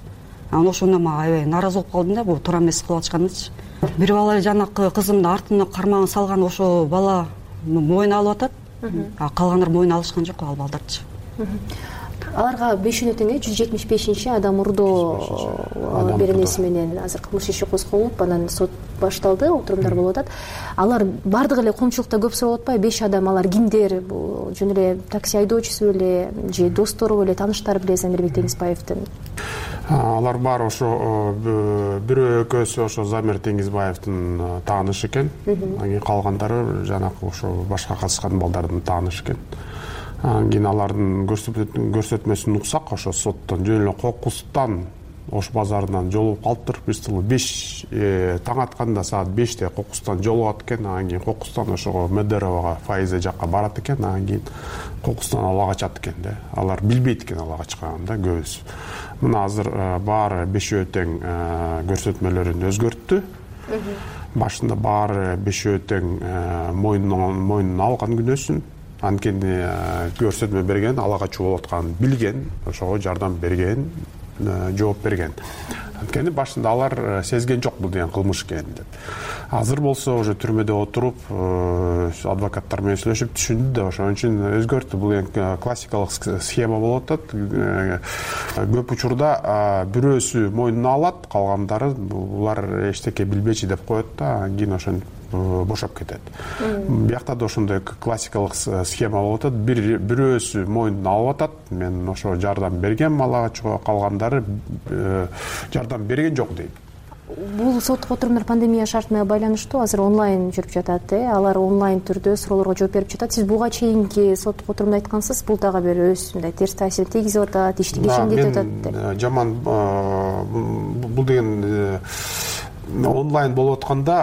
Анан ошондо мага аябай нааразы болуп калдым да, бул туура эмес кылып атышканычы. Бир бала эле жанакы кызымдын артына кармагын салган ошо бала мойнуна алып атат, а калгандар мойнуна алышкан жок ал балдарчы. Аларга бешөөнө тең жүз жетимиш бешинчи адам урдоо беренеси менен азыр кылмыш иши козголуп, анан сот башталды, отурумдар болуп атат. Алар бардыгы эле коомчулукта көп сурап атпайбы? беш адам, алар кимдер? Бул жөн эле такси айдоочусу беле, же достору беле, тааныштары беле Замирбек Теңизбаевдин? Алар баары ошо бирөө экөөсү ошо Замир Теңизбаевдин таанышы экен. Анан кийин калгандары жанакы ошо башка катышкан балдардын таанышы экен. Анан кийин алардын көрсөтмөсүн уксак, ошо соттон жөн эле кокустан Ош базарынан жолугуп калыптыр. Биз тил беш таң атканда саат беште Кокустан жолугат экен. Анан кийин Кокустан ошого Медеровага, Файзе жакка барат экен. Анан кийин Кокустан ала качат экен да. Алар билбейт экен ала качканын да көбүсү. Мына азыр баары бешөө тең көрсөтмөлөрүн өзгөрттү. Башында баары бешөө тең мойнунан мойнуна алган күнөөсүн. Анткени көрсөтмө берген, ала качуу болуп атканын билген, ошого жардам берген, жооп берген. Анткени башында алар сезген жок бул деген кылмыш экенин деп. Азыр болсо уже түрмөдө отуруп, адвокаттар менен сүйлөшүп түшүндү да, ошон үчүн өзгөрттү. Бул эң классикалык схема болуп атат. Көп учурда бирөөсү мойнуна алат, калгандары булар эчтеке билбечи деп коет да, анан кийин ошон бошоп кетет. Биякта да ошондой классикалык схема болуп атат. Бир бирөөсү мойнуна алып атат. Мен ошо жардам бергем, ала качууга, калгандары жардам берген жок дейт. Бул соттук отурумдар пандемия шарты менен байланыштуу, азыр онлайн жүрүп жатат, э? Алар онлайн түрдө суроолорго жооп берип жатат. Сиз буга чейинки соттук отурумда айткансыз, бул дагы бир өз мындай терс таасир тийгизип атат, ишти кечеңдетип атат деп. Жаман бул деген онлайн болуп атканда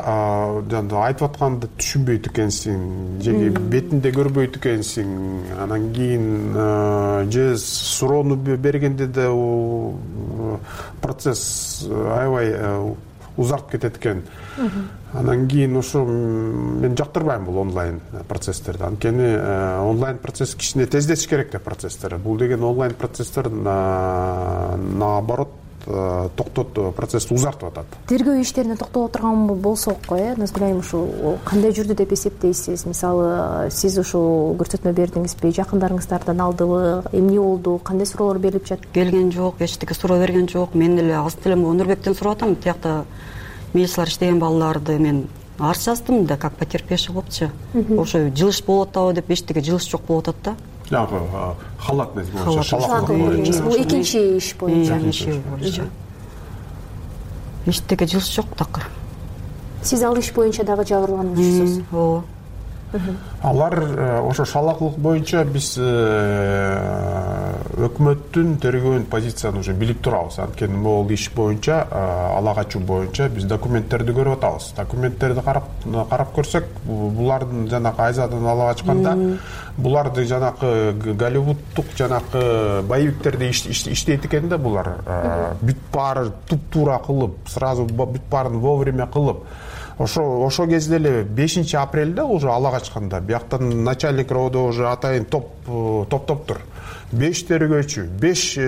айтып атканды түшүнбөйт экенсиң, же бетинде көрбөйт экенсиң. Анан кийин же суроону бергенде да процесс аябай узарып кетет экен. Анан кийин ошо мен жактырбайм бул онлайн процесстерди. Анткени онлайн процесс кичине тездетиш керек деп процесстер. Бул деген онлайн процесстер наоборот токтот, процессти узартып атат. Тергөө иштерине токтоло турган болсок, э, Назгүл ушул кандай жүрдү деп эсептейсиз? Мисалы, сиз ушул көрсөтмө бердиңизби, жакындарыңыздардан алдыбы, эмне болду, кандай суроолор берилип жатты? Келген жок, эчтеке суроо берген жок. Мен эле азыр деле Нурбектен сурап атам. Тиякта милициялар иштеген балдарды мен арыз жаздым да, как потерпевший болупчу. Ошо жылыш болуп атабы деп, эчтеке жылыш жок болуп атат да. Жанагы халатность боюнча, шалаактык боюнча. Бул экинчи иш боюнча. боюнча. Эчтеке жылыш жок такыр. Сиз ал иш боюнча дагы жабырлануучусуз. Ооба. Алар ошо шалаактылык боюнча биз өкмөттүн тергөөнүн позициясын уже билип турабыз. Анткени могул иш боюнча, ала качуу боюнча биз документтерди көрүп атабыз. Документтерди карап карап көрсөк, булардын жанагы Айзадан ала качканда буларды жанагы Голливуддук жанагы боевиктерди иштейт экен да булар. Бүт баары туп-туура кылып, сразу бүт баарын вовремя кылып. Ошо ошо кезде эле бешинчи апрелде уже ала качканда бияктан начальник РОВДо уже атайын топ топтоптур. беш тергөөчү, беш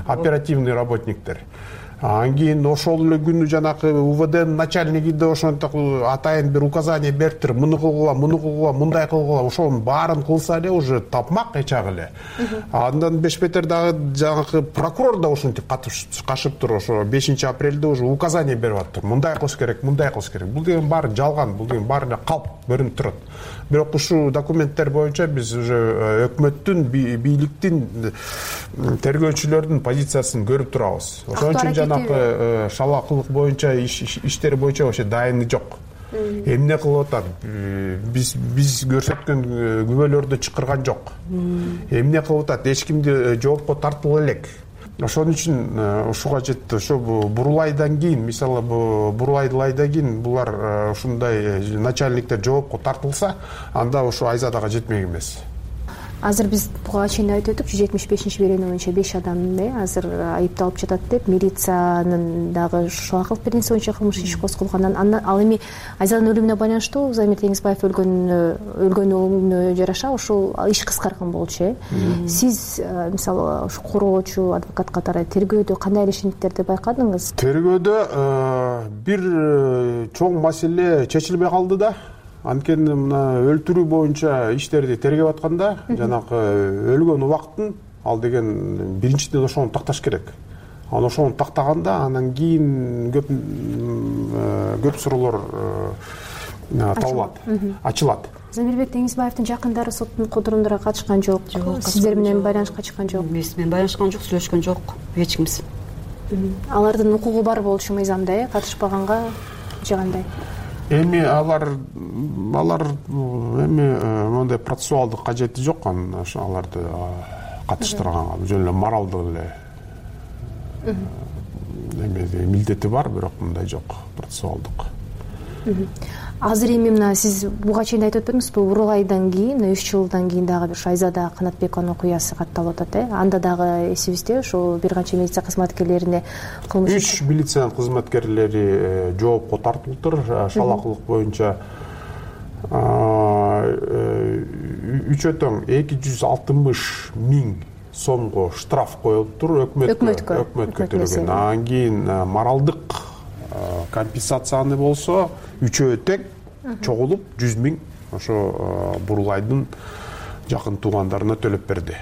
оперативный работниктер. Анан кийин ошол эле күнү жанагы УВДнын начальниги да ошентип атайын бир указание бериптир. Муну кылгыла, муну кылгыла, мындай кылгыла. Ошонун баарын кылса эле уже тапмак эчак эле. Андан бешбетер дагы жанагы прокурор да ошентип кашыптыр. Ошо бешинчи апрелде уже указание берип аттыр. Мындай кылыш керек, мындай кылыш керек. Бул деген баары жалган, бул деген баары эле калп көрүнүп турат. Бирок ушул документтер боюнча биз уже өкмөттүн, бийликтин, тергөөчүлөрдүн позициясын көрүп турабыз. Ошон үчүн жанагы шалаактылык боюнча иштери боюнча вообще дайыны жок. Эмне кылып атат? Биз биз көрсөткөн күбөлөрдү чакырган жок. Эмне кылып атат? Эч кимди жоопко тартыла элек. Ошон үчүн ушуга жетти. Ошо бурулайдан кийин, мисалы бурулайдан кийин булар ушундай начальниктер жоопко тартылса, анда ошо Айзадага жетмек эмес. Азыр биз буга чейин айтып өтүп, жүз жетимиш бешинчи беренүү боюнча беш адам азыр айыпталып жатат деп, милициянын дагы шалаактылык беренеси боюнча кылмыш иш козголган. Ал эми Айзадын өлүмүнө байланыштуу Замир Теңизбаев өлгөн өлгөнүнө жараша ушул иш кыскарган болчу, э? Сиз мисалы ушу короочу адвокат катары тергөөдө кандай элешимдиктерди байкадыңыз? Тергөөдө бир чоң маселе чечилбей калды да. Анткени мына өлтүрүү боюнча иштерди тергеп атканда, жанагы өлгөн убакытын ал деген биринчиден ошону такташ керек. Анан ошону тактаганда анан кийин көп көп суроолор табылат, ачылат. Замирбек Теңизбаевдин жакындары соттун отурумдарына катышкан жок. Сиздер менен байланышка чыккан жок. Биз менен байланышкан жок, сүйлөшкөн жок эч кимиз. Алардын укугу бар болушу мыйзамда, э, катышпаганга же кандай? Эми алар алар эми мондай процессуалдык кажети жок, аларды катыштырганга жөн эле моралдык эле эме милдети бар, бирок мындай жок, процессуалдык. Азыр эми мына сиз буга чейин айтып өтпөдүңүзбү, Урулайдан кийин үч жылдан кийин дагы бир Айзада Канатбекованын окуясы катталып атат, э? Анда дагы эсибизде ошол бир канча милиция кызматкерлерине кылмыш үч милициянын кызматкерлери жоопко тартылыптыр. Шалакылык боюнча үчөө тең эки жүз алтымыш миң сомго штраф коюлуптур өкмөткө өкмөткө төлөгөн. Анан кийин моралдык компенсацияны болсо үчөө тең чогулуп жүз миң ошо Бурулайдын жакын туугандарына төлөп берди.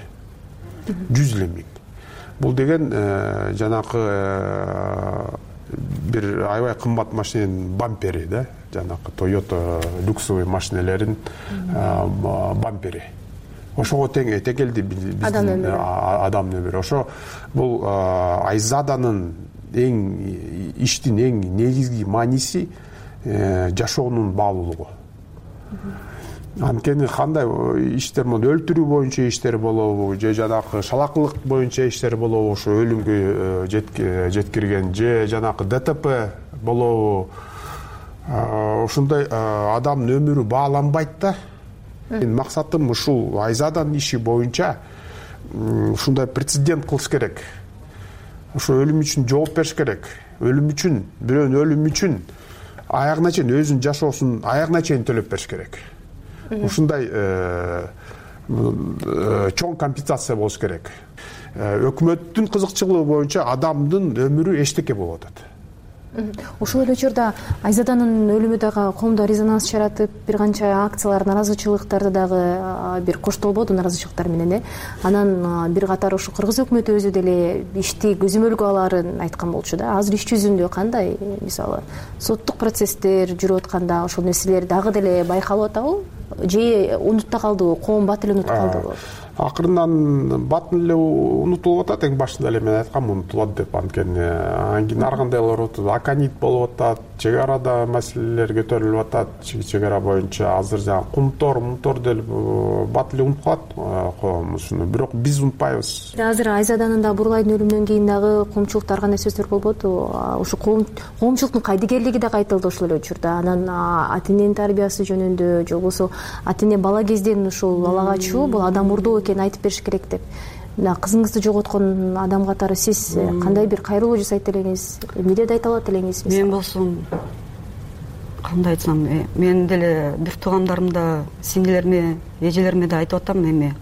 жүз элүү миң. Бул деген жанакы бир аябай кымбат машиненин бампери да, жанакы Toyota люксовый машинелерин бампери. Ошого тең келди биздин адам өмүрү. Ошо бул Айзаданын эң иштин эң негизги мааниси жашоонун баалуулугу. Анткени кандай иштер болду, өлтүрүү боюнча иштер болобу, же жанакы шалакылык боюнча иштер болобу, ошо өлүмгө жеткирген, же жанакы ДТП болобу, ошондой адамдын өмүрү бааланбайт да. Менин максатым ушул Айзаданын иши боюнча ушундай прецедент кылыш керек. Ошо өлүм үчүн жооп бериш керек. Өлүм үчүн, бирөөнүн өлүмү үчүн аягына чейин өзүнүн жашоосун аягына чейин төлөп бериш керек. Ушундай чоң компенсация болуш керек. Өкмөттүн кызыкчылыгы боюнча адамдын өмүрү эчтеке болуп атат. Ошол эле учурда Айзаданын өлүмү дагы коомдо резонанс жаратып, бир канча акциялар, наразычылыктарды дагы бир коштолбоду, наразычылыктар менен, э? Анан бир катар ушу кыргыз өкмөтү өзү деле ишти көзөмөлгө алаарын айткан болчу да. Азыр иш жүзүндө кандай, мисалы, соттук процесстер жүрүп атканда ошол нерселер дагы деле байкалып атабы? Же унутта калдыбы, коом бат эле унутуп калдыбы? Акырындан батын эле унутулуп атат, эң башында эле мен айткам унутулат деп, анткени анан кийин ар кандайлар болуп атат, аканит болуп атат, чек арада маселелер көтөрүлүп атат, чек ара боюнча азыр жаңы кумтор, мунтор делип бат эле унутуп калат коом ушуну, бирок биз унутпайбыз. Азыр Айзаданын да Бурулайдын өлүмүнөн кийин дагы коомчулукта ар кандай сөздөр болбоду? Ушу коомчулуктун кайдыгерлиги да кайтылды ошол эле учурда. Анан ата эненин тарбиясы жөнүндө, же болбосо ата эне бала кезден ушул ала качуу бул адам урдоо экенин айтып бериш керек деп. Мына кызыңызды жоготкон адам катары сиз кандай бир кайрылуу жасайт элеңиз? Эмне да айта алат элеңиз? Мен болсом кандай айтсам, мен деле бир туугандарымда, сиңдилериме, эжелериме да айтып атам, эми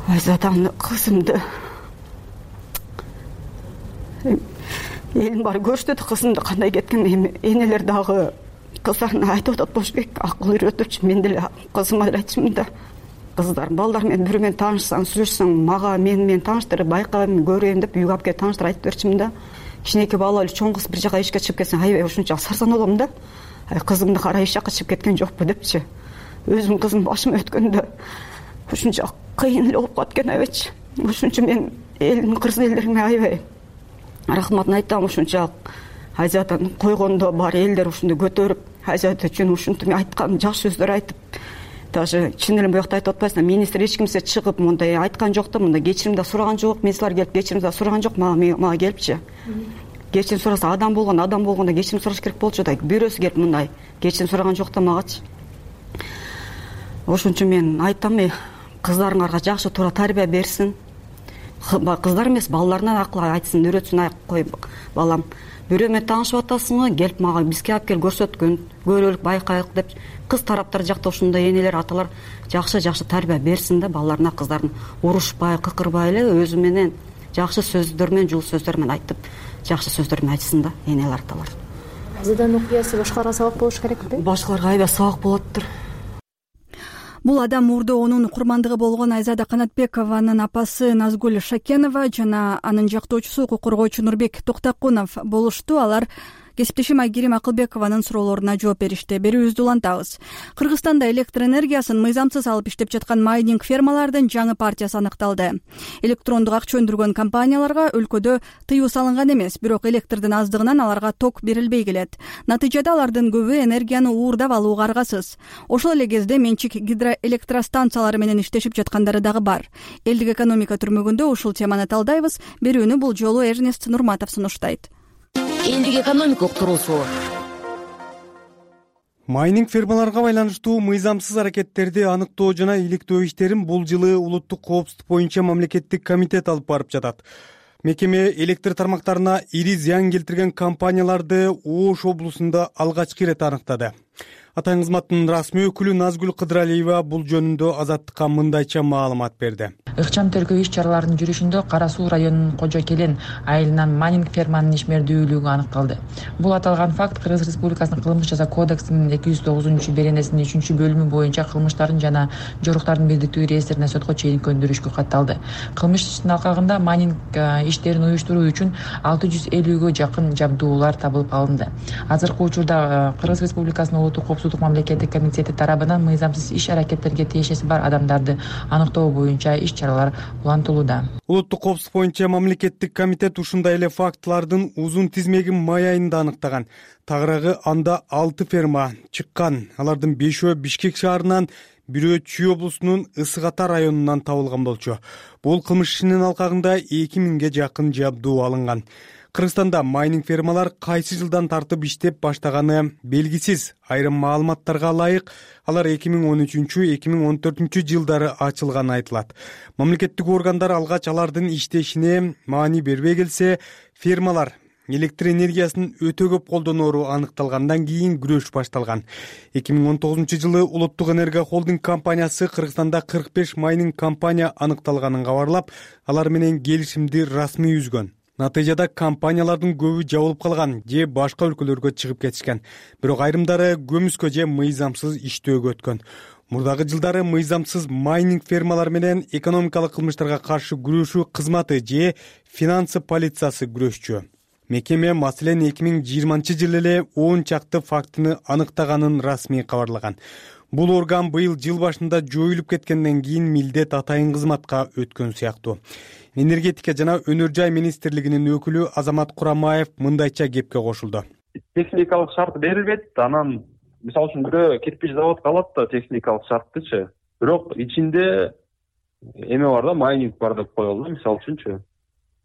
Айзаданын кызымды элин баары көрүштү да, кызымды кандай кеткен, эми энелер дагы кыздарына айтып атат болуш керек, акыл үйрөтүпчү. Мен деле кызыма деле айтчумун да, кыздар, балдар менен бирөө менен таанышсаң, сүйлөшсөң, мага мен менен тааныштыр, байкайм, көрөйм деп үйгө алып келип тааныштырып айтып берчимин да. Кичинекей бала эле чоң кыз бир жака ишке чыгып кетсең, аябай ушунча сарсан болом да. Ай, кызымды кара иш жака чыгып кеткен жокпу депчи. Өзүм кызым башыма өткөндө ушунча кыйын эле болуп калат экен айбайчы. Ошон үчүн мен элдин кыргыз элдериме аябай рахматын айтам. Ушунча Айзаданы койгондо бар элдер ушунду көтөрүп, Айзада үчүн ушинтип айткан жакшы сөздөр айтып, даже чын эле буякта айтып атпайсыңдар, министр эч кимсе чыгып мындай айткан жок да, мындай кечирим да сураган жок, министрлер келип кечирим да сураган жок, мага мага келипчи. Кечирим сураса, адам болгон, адам болгондо кечирим сураш керек болчу да, бирөөсү келип мындай кечирим сураган жок да магачы. Ошон үчүн мен айтам, кыздарыңарга жакшы туура тарбия берсин. Кыздар эмес, балдарына акыл айтсын, үйрөтсүн. Ай, кой балам, бирөө менен таанышып атасыңбы, келип мага бизге алып кел көрсөткүн, көрөлүк, байкайлык деп кыз тараптар жакта ушундай энелер, аталар жакшы-жакшы тарбия берсин да, балдарына, кыздарын урушпай, кыкырбай эле өзү менен жакшы сөздөр менен, жул сөздөр менен айтып, жакшы сөздөр менен айтсын да энелер, аталар. Айзаданын окуясы башкаларга сабак болуш керекпи? Башкаларга аябай сабак болоттур. Бул адам мурдоонун курмандыгы болгон Айзада Канатбекованын апасы Назгүл Шакенова жана анын жактоочусу укук коргоочу Нурбек Токтокунов болушту. Алар Кесиптешим Айгерим Акылбекованын суроолоруна жооп беришти. Берүүбүздү улантабыз. Кыргызстанда электр энергиясын мыйзамсыз алып иштеп жаткан майнинг фермалардын жаңы партиясы аныкталды. Электрондук акча өндүргөн компанияларга өлкөдө тыюу салынган эмес, бирок электрдин аздыгынан аларга ток берилбей келет. Натыйжада алардын көбү энергияны уурдап алууга аргасыз. Ошол эле кезде менчик гидроэлектростанциялары менен иштешип жаткандары дагы бар. Элдик экономика түрмөгүндө ушул теманы талдайбыз. Берүүнү бул жолу Эрнест Нурматов сунуштайт. Элдик экономика уктуруусу. Майнинг фермаларга байланыштуу мыйзамсыз аракеттерди аныктоо жана иликтөө иштерин бул жылы улуттук коопсуздук боюнча мамлекеттик комитет алып барып жатат. Мекеме электр тармактарына ири зыян келтирген компанияларды Ош облусунда алгачкы ирет аныктады. Атайын кызматтын расмий өкүлү Назгүл Кыдыралиева бул жөнүндө Азаттыкка мындайча маалымат берди. Ыкчам тергөө иш-чараларынын жүрүшүндө Кара Суу районунун Кожо Келен айылынан майнинг ферманын ишмердүүлүгү аныкталды. Бул аталган факт Кыргыз Республикасынын кылмыш жаза кодексинин эки жүз тогузунчу беренесинин үчүнчү бөлүмү боюнча кылмыштардын жана жоруктардын бирдиктүү реестрине сотко чейин көндүрүшкө катталды. Кылмыш ишинин алкагында майнинг иштерин уюштуруу үчүн алты жүз элүүгө жакын жабдуулар табылып алынды. Азыркы учурда Кыргыз Республикасынын улуттук коопсуздук мамлекеттик комитети тарабынан мыйзамсыз иш аракеттерге тиешеси бар адамдарды аныктоо боюнча иш чаралар улантылууда. Улуттук коопсуздук боюнча мамлекеттик комитет ушундай эле фактылардын узун тизмегин май айында аныктаган. Тагыраагы анда алты ферма чыккан. Алардын бешөө Бишкек шаарынан, бирөө Чүй облусунун Ысык Ата районунан табылган болчу. Бул кылмыш ишинин алкагында эки миңге жакын жабдуу алынган. Кыргызстанда майнинг фермалар кайсы жылдан тартып иштеп баштаганы белгисиз. Айрым маалыматтарга ылайык, алар эки миң он үчүнчү эки миң он төртүнчү жылдары ачылганы айтылат. Мамлекеттик органдар алгач алардын иштешине маани бербей келсе, фермалар электр энергиясын өтө көп колдоноору аныкталгандан кийин күрөш башталган. эки миң он тогузунчу жылы Улуттук энергия холдинг компаниясы Кыргызстанда кырк беш майнинг компания аныкталганын кабарлап, алар менен келишимди расмий үзгөн. Натыйжада компаниялардын көбү жабылып калган же башка өлкөлөргө чыгып кетишкен. Бирок айрымдары көмүскө же мыйзамсыз иштөөгө өткөн. Мурдагы жылдары мыйзамсыз майнинг фермалар менен экономикалык кылмыштарга каршы күрөшүү кызматы же финансы полициясы күрөшчү. Мекеме маселен эки миң жыйырманчы жылы эле он чакты фактыны аныктаганын расмий кабарлаган. Бул орган быйыл жыл башында жоюлуп кеткенден кийин милдет атайын кызматка өткөн сыяктуу. Энергетика жана өнөр жай министрлигинин өкүлү Азамат Курамаев мындайча кепке кошулду. Техникалык шарт берилбейт, анан мисалы үчүн бирөө кирпич заводко алат да техникалык шарттычы. Бирок ичинде эме бар да, майнинг бар деп коелу, мисалы үчүнчү.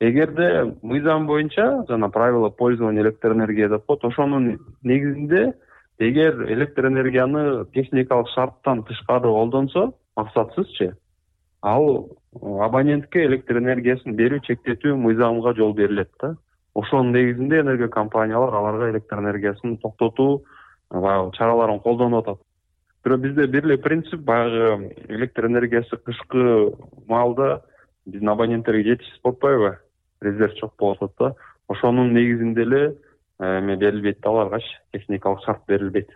Эгерде мыйзам боюнча жана правила пользования электроэнергия деп коет, ошонун негизинде эгер электроэнергияны техникалык шарттан тышкары колдонсо, максатсызчы, ал абонентке электр энергиясын берүү чектетүү мыйзамга жол берилет да. Ошонун негизинде энергия компаниялар аларга электр энергиясын токтотуу чараларын колдонуп атат. Бирок бизде бир эле принцип, баягы электр энергиясы кышкы маалда биздин абоненттерге жетишсиз болуп атпайбы? Резерв чок болуп атат да. Ошонун негизинде эле эме берилбейт да, аларгачы техникалык шарт берилбейт.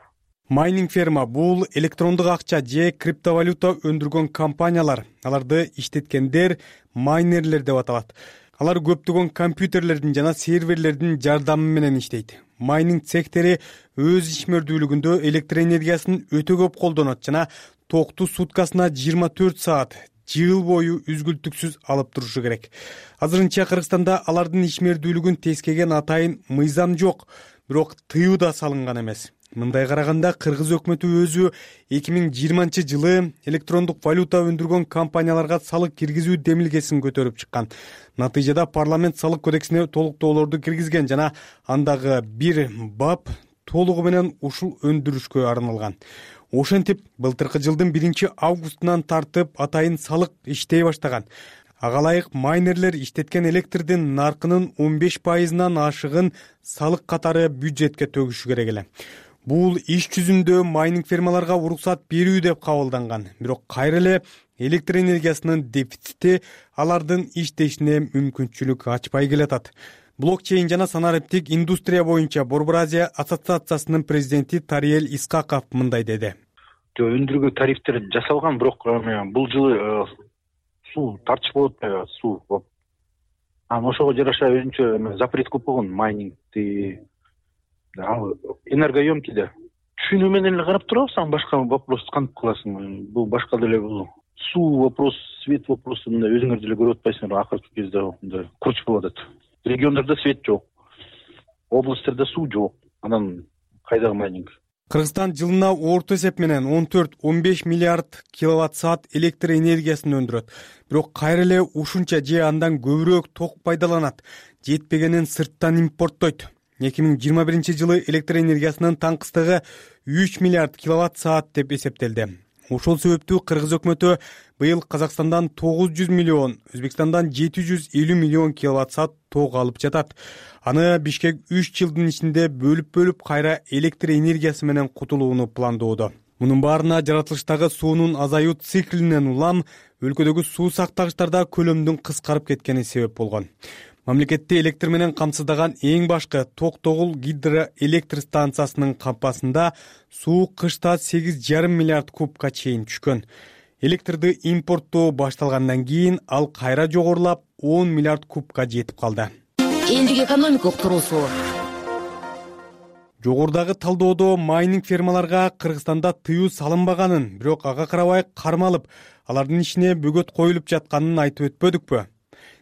Майнинг ферма бул электрондук акча же криптовалюта өндүргөн компаниялар. Аларды иштеткендер майнерлер деп аталат. Алар көптөгөн компьютерлердин жана серверлердин жардамы менен иштейт. Майнинг цехтери өз ишмердүүлүгүндө электр энергиясын өтө көп колдонот жана токту суткасына жыйырма төрт саат жыл бою үзгүлтүксүз алып турушу керек. Азырынча Кыргызстанда алардын ишмердүүлүгүн тескеген атайын мыйзам жок, бирок тыюу да салынган эмес. Мындай караганда Кыргыз өкмөтү өзү эки миң жыйырманчы жылы электрондук валюта өндүргөн компанияларга салык киргизүү демилгесин көтөрүп чыккан. Натыйжада парламент салык кодексине толуктоолорду киргизген жана андагы бир бап толугу менен ушул өндүрүшкө арналган. Ошентип, былтыркы жылдын биринчи августунан тартып атайын салык иштей баштаган. Ага ылайык майнерлер иштеткен электрдин наркынын он беш пайызынан ашыгын салык катары бюджетке төгүшү керек эле. Бул иш жүзүндө майнинг фермаларга уруксат берүү деп кабылданган. Бирок кайра эле электр энергиясынын дефицити алардын иштешине мүмкүнчүлүк ачпай келатат. Блокчейн жана санариптик индустрия боюнча Борбор Азия ассоциациясынын президенти Тариел Искаков мындай деди. Өндүргө тарифтер жасалган, бирок бул жылы суу тартыш болуп атпайбы, суу. Анан ошого жараша өзүнчө запрет көп болгон майнингди ал энергоемкий да. Түшүнүү менен эле карап турабыз, анан башка вопрос кантип кыласың? Бул башка деле бул суу вопрос, свет вопросу мындай өзүңөр деле көрүп атпайсыңарбы, акыркы кезде мындай курч болуп атат. Региондордо свет жок, областьтарда суу жок. Анан кайдагы майнинг? Кыргызстан жылына орто эсеп менен он төрт — он беш миллиард киловатт саат электр энергиясын өндүрөт. Бирок кайра эле ушунча же андан көбүрөөк ток пайдаланат, жетпегенин сырттан импорттойт. эки миң жыйырма биринчи жылы электр энергиясынын таңкыстыгы үч миллиард киловатт саат деп эсептелди. Ошол себептүү Кыргыз өкмөтү быйыл Казакстандан тогуз жүз миллион, Өзбекстандан жети жүз элүү миллион киловатт саат ток алып жатат. Аны Бишкек үч жылдын ичинде бөлүп-бөлүп кайра электр энергиясы менен кутулууну пландоодо. Мунун баарына жаратылыштагы суунун азаюу циклинен улам өлкөдөгү суу сактагычтарда көлөмдүн кыскарып кеткени себеп болгон. Мамлекетти электр менен камсыздаган эң башкы Токтогул гидроэлектр станциясынын кампасында суу кышта сегиз жарым миллиард кубка чейин түшкөн. Электрди импорттоо башталгандан кийин ал кайра жогорулап он миллиард кубка жетип калды. Элдик экономикалык туруусу. Жогорудагы талдоодо майнинг фермаларга Кыргызстанда тыюу салынбаганын, бирок ага карабай кармалып, алардын ишине бөгөт коюлуп жатканын айтып өтпөдүкпү?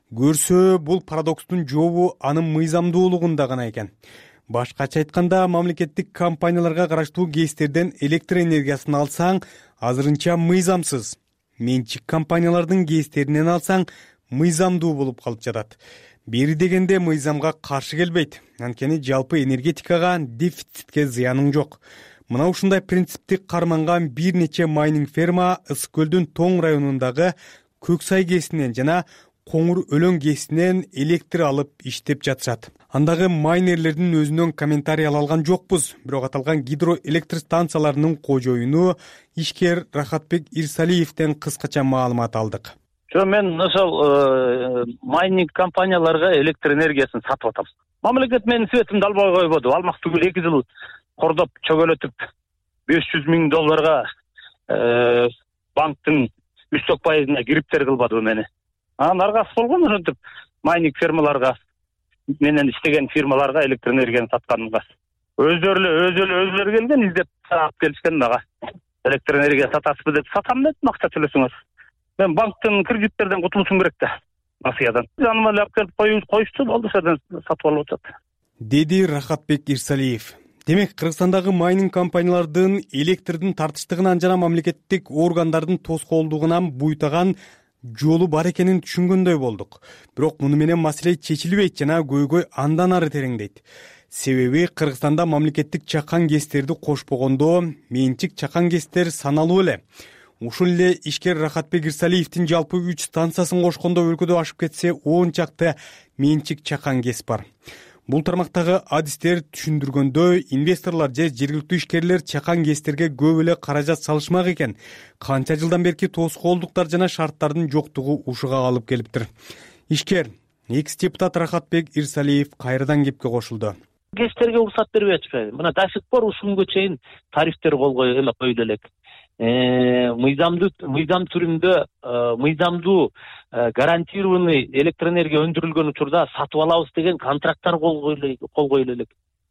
Көрсө, бул парадокстун жообу анын мыйзамдуулугунда гана экен. Башкача айтканда, мамлекеттик компанияларга караштуу ГЭСтерден электр энергиясын алсаң, азырынча мыйзамсыз. Менчик компаниялардын ГЭСтеринен алсаң, мыйзамдуу болуп калып жатат. Бери дегенде мыйзамга каршы келбейт. Анткени жалпы энергетикага, дефицитке зыяның жок. Мына ушундай принципти карманган бир нече майнинг ферма Ысык көлдүн Тоң районундагы Көксай ГЭСинен жана Коңур Өлөң ГЭСинен электр алып иштеп жатышат. Андагы майнерлердин өзүнөн комментарий ала алган жокпуз, бирок аталган гидроэлектр станцияларынын кожоюну ишкер Рахатбек Ирсалиевден кыскача маалымат алдык. Жо, мен ошол майнинг компанияларга электр энергиясын сатып атам. Мамлекет менин светимди албай койбоду. Алмак түгүл эки жыл кордоп чөгөлөтүп беш жүз миң долларга банктын үстөк пайызына кириптер кылбады мени. Анан аргасы болгон ошентип майнинг фермаларга менен иштеген фирмаларга электр энергияны сатканымга. Өздөрү эле өзү өзүлөрү келген издеп алып келишкен мага. Электр энергия сатасызбы деп сатам деп макса төлөсөңөр. Мен банктын кредиттерден кутулушум керек да. Насыядан. Жаныма алып келип коюшту, болду ошодон сатып алып атат. Деди Рахатбек Ирсалиев. Демек, Кыргызстандагы майнинг компаниялардын электрдин тартыштыгынан жана мамлекеттик органдардын тоскоолдугунан буйтаган жолу бар экенин түшүнгөндөй болдук. Бирок муну менен маселе чечилбейт жана көйгөй андан ары тереңдейт. Себеби Кыргызстанда мамлекеттик чакан ГЭСтерди кошпогондо менчик чакан ГЭСтер саналуу эле. Ушул эле ишкер Рахатбек Ирсалиевдин жалпы үч станциясын кошкондо өлкөдө ашып кетсе он чакты менчик чакан ГЭС бар. Бул тармактагы адистер түшүндүргөндөй, инвесторлор же жергиликтүү ишкерлер чакан ГЭСтерге көп эле каражат салышмак экен. Канча жылдан берки тоскоолдуктар жана шарттардын жоктугу ушуга алып келиптир. Ишкер экс-депутат Рахатбек Ирсалиев кайрадан кепке кошулду. ГЭСтерге уруксат бербей атышпайбы? Мына до сих пор ушунгө чейин тарифтер кол эле коюлу элек. Мыйзамдуу мыйзам түрүндө мыйзамдуу гарантированный электр энергия өндүрүлгөн учурда сатып алабыз деген контракттар кол коюлу элек.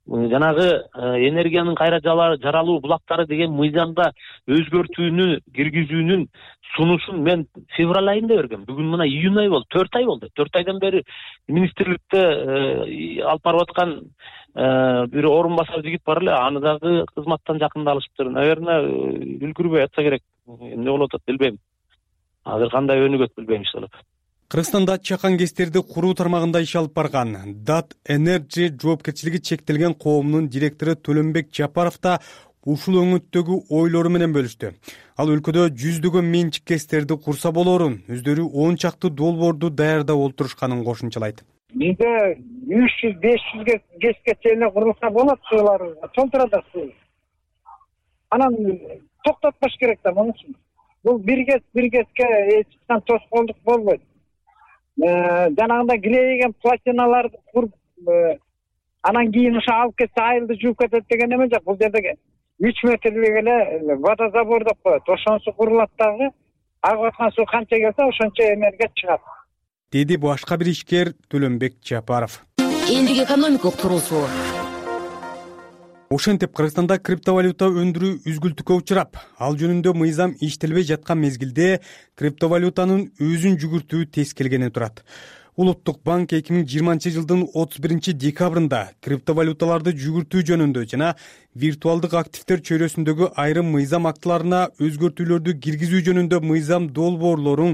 Жанагы энергиянын кайра жаралуу булактары деген мыйзамда өзгөртүүнү киргизүүнүн сунушун мен февраль айында бергем. Бүгүн мына июнь ай болду, төрт ай болду. төрт айдан бери министрликте алып барып аткан бир орун басар жигит бар эле, аны дагы кызматтан жакында алышыптыр. Наверное, үлгүрбөй атса керек. Эмне болуп атат билбейм. Азыр кандай өнүгөт билбейм иншалла. Кыргызстанда чакан ГЭСтерди куруу тармагында иш алып барган Дат Energy жоопкерчилиги чектелген коомунун директору Төлөнбек Жапаров да ушул өңүттөгү ойлору менен бөлүштү. Ал өлкөдө жүздөгөн менчик ГЭСтерди курса болорун, өздөрү он чакты долбоорду даярдап олтурушканын кошумчалайт. Бизде үч жүз беш жүз ГЭСке чейин курулса болот, суулар толтурат суу. Анан токтотпош керек да муну үчүн. Бул бир ГЭС бир ГЭСке эч качан тоскоолдук болбойт. Жанагындай килейген платиналарды куруп анан кийин ошо алып кетсе айылды жууп кетет деген эме жок. Бул жерде үч метрлик эле водозабор деп коет. Ошонусу курулат дагы агып аткан суу канча келсе ошончо энергия чыгат. Деди башка бир ишкер Төлөнбек Жапаров. Элдик экономикалык туруусу. ошентип Кыргызстанда криптовалюта өндүрүү үзгүлтүккө учурап, ал жөнүндө мыйзам иштелбей жаткан мезгилде криптовалютанын өзүн жүгүртүү тез келгени турат. Улуттук банк эки миң жыйырманчы жылдын отуз биринчи декабрында криптовалюталарды жүгүртүү жөнүндө жана виртуалдык активдер чөйрөсүндөгү айрым мыйзам актыларына өзгөртүүлөрдү киргизүү жөнүндө мыйзам долбоорлорун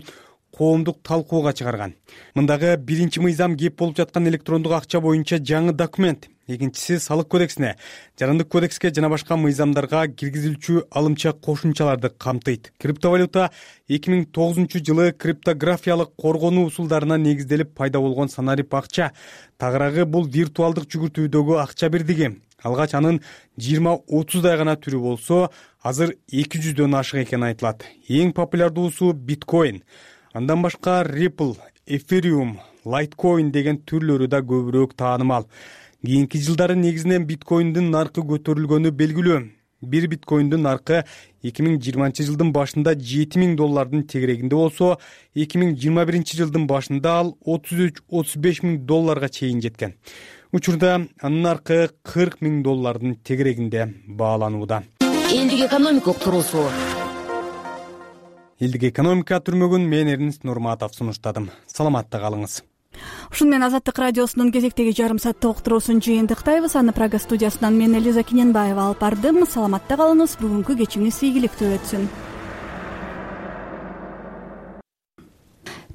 коомдук талкууга чыгарган. Мындагы биринчи мыйзам кеп болуп жаткан электрондук акча боюнча жаңы документ, экинчиси салык кодексине, жарандык кодекске жана башка мыйзамдарга киргизилчү алымча кошумчаларды камтыйт. Криптовалюта эки миң тогузунчу жылы криптографиялык коргонуу усулдарына негизделип пайда болгон санарип акча. Тагыраагы бул виртуалдык жүгүртүүдөгү акча бирдиги. Алгач анын жыйырма отуздай гана түрү болсо, азыр эки жүздөн ашык экени айтылат. Эң популярдуусу биткоин. Андан башка Ripple, Ethereum, Litecoin деген түрлөрү да көбүрөөк таанымал. Кийинки жылдары негизинен биткоиндин наркы көтөрүлгөнү белгилүү. Бир биткоиндин наркы эки миң жыйырманчы жылдын башында жети миң доллардын тегерегинде болсо, эки миң жыйырма биринчи жылдын башында ал отуз үч отуз беш миң долларга чейин жеткен. Учурда анын наркы кырк миң доллардын тегерегинде бааланууда. Элдик экономика туруусу. Элдик экономика түрмөгүн мен Эрнест Нурматов сунуштадым. Саламатта калыңыз. Ушун менен Азаттык радиосунун кезектеги жарым сааттык уктуруусун жыйынтыктайбыз. Аны Прага студиясынан мен Элиза Киненбаева алып бардым. Саламатта калыңыз. Бүгүнкү кечиңиз ийгиликтүү өтсүн.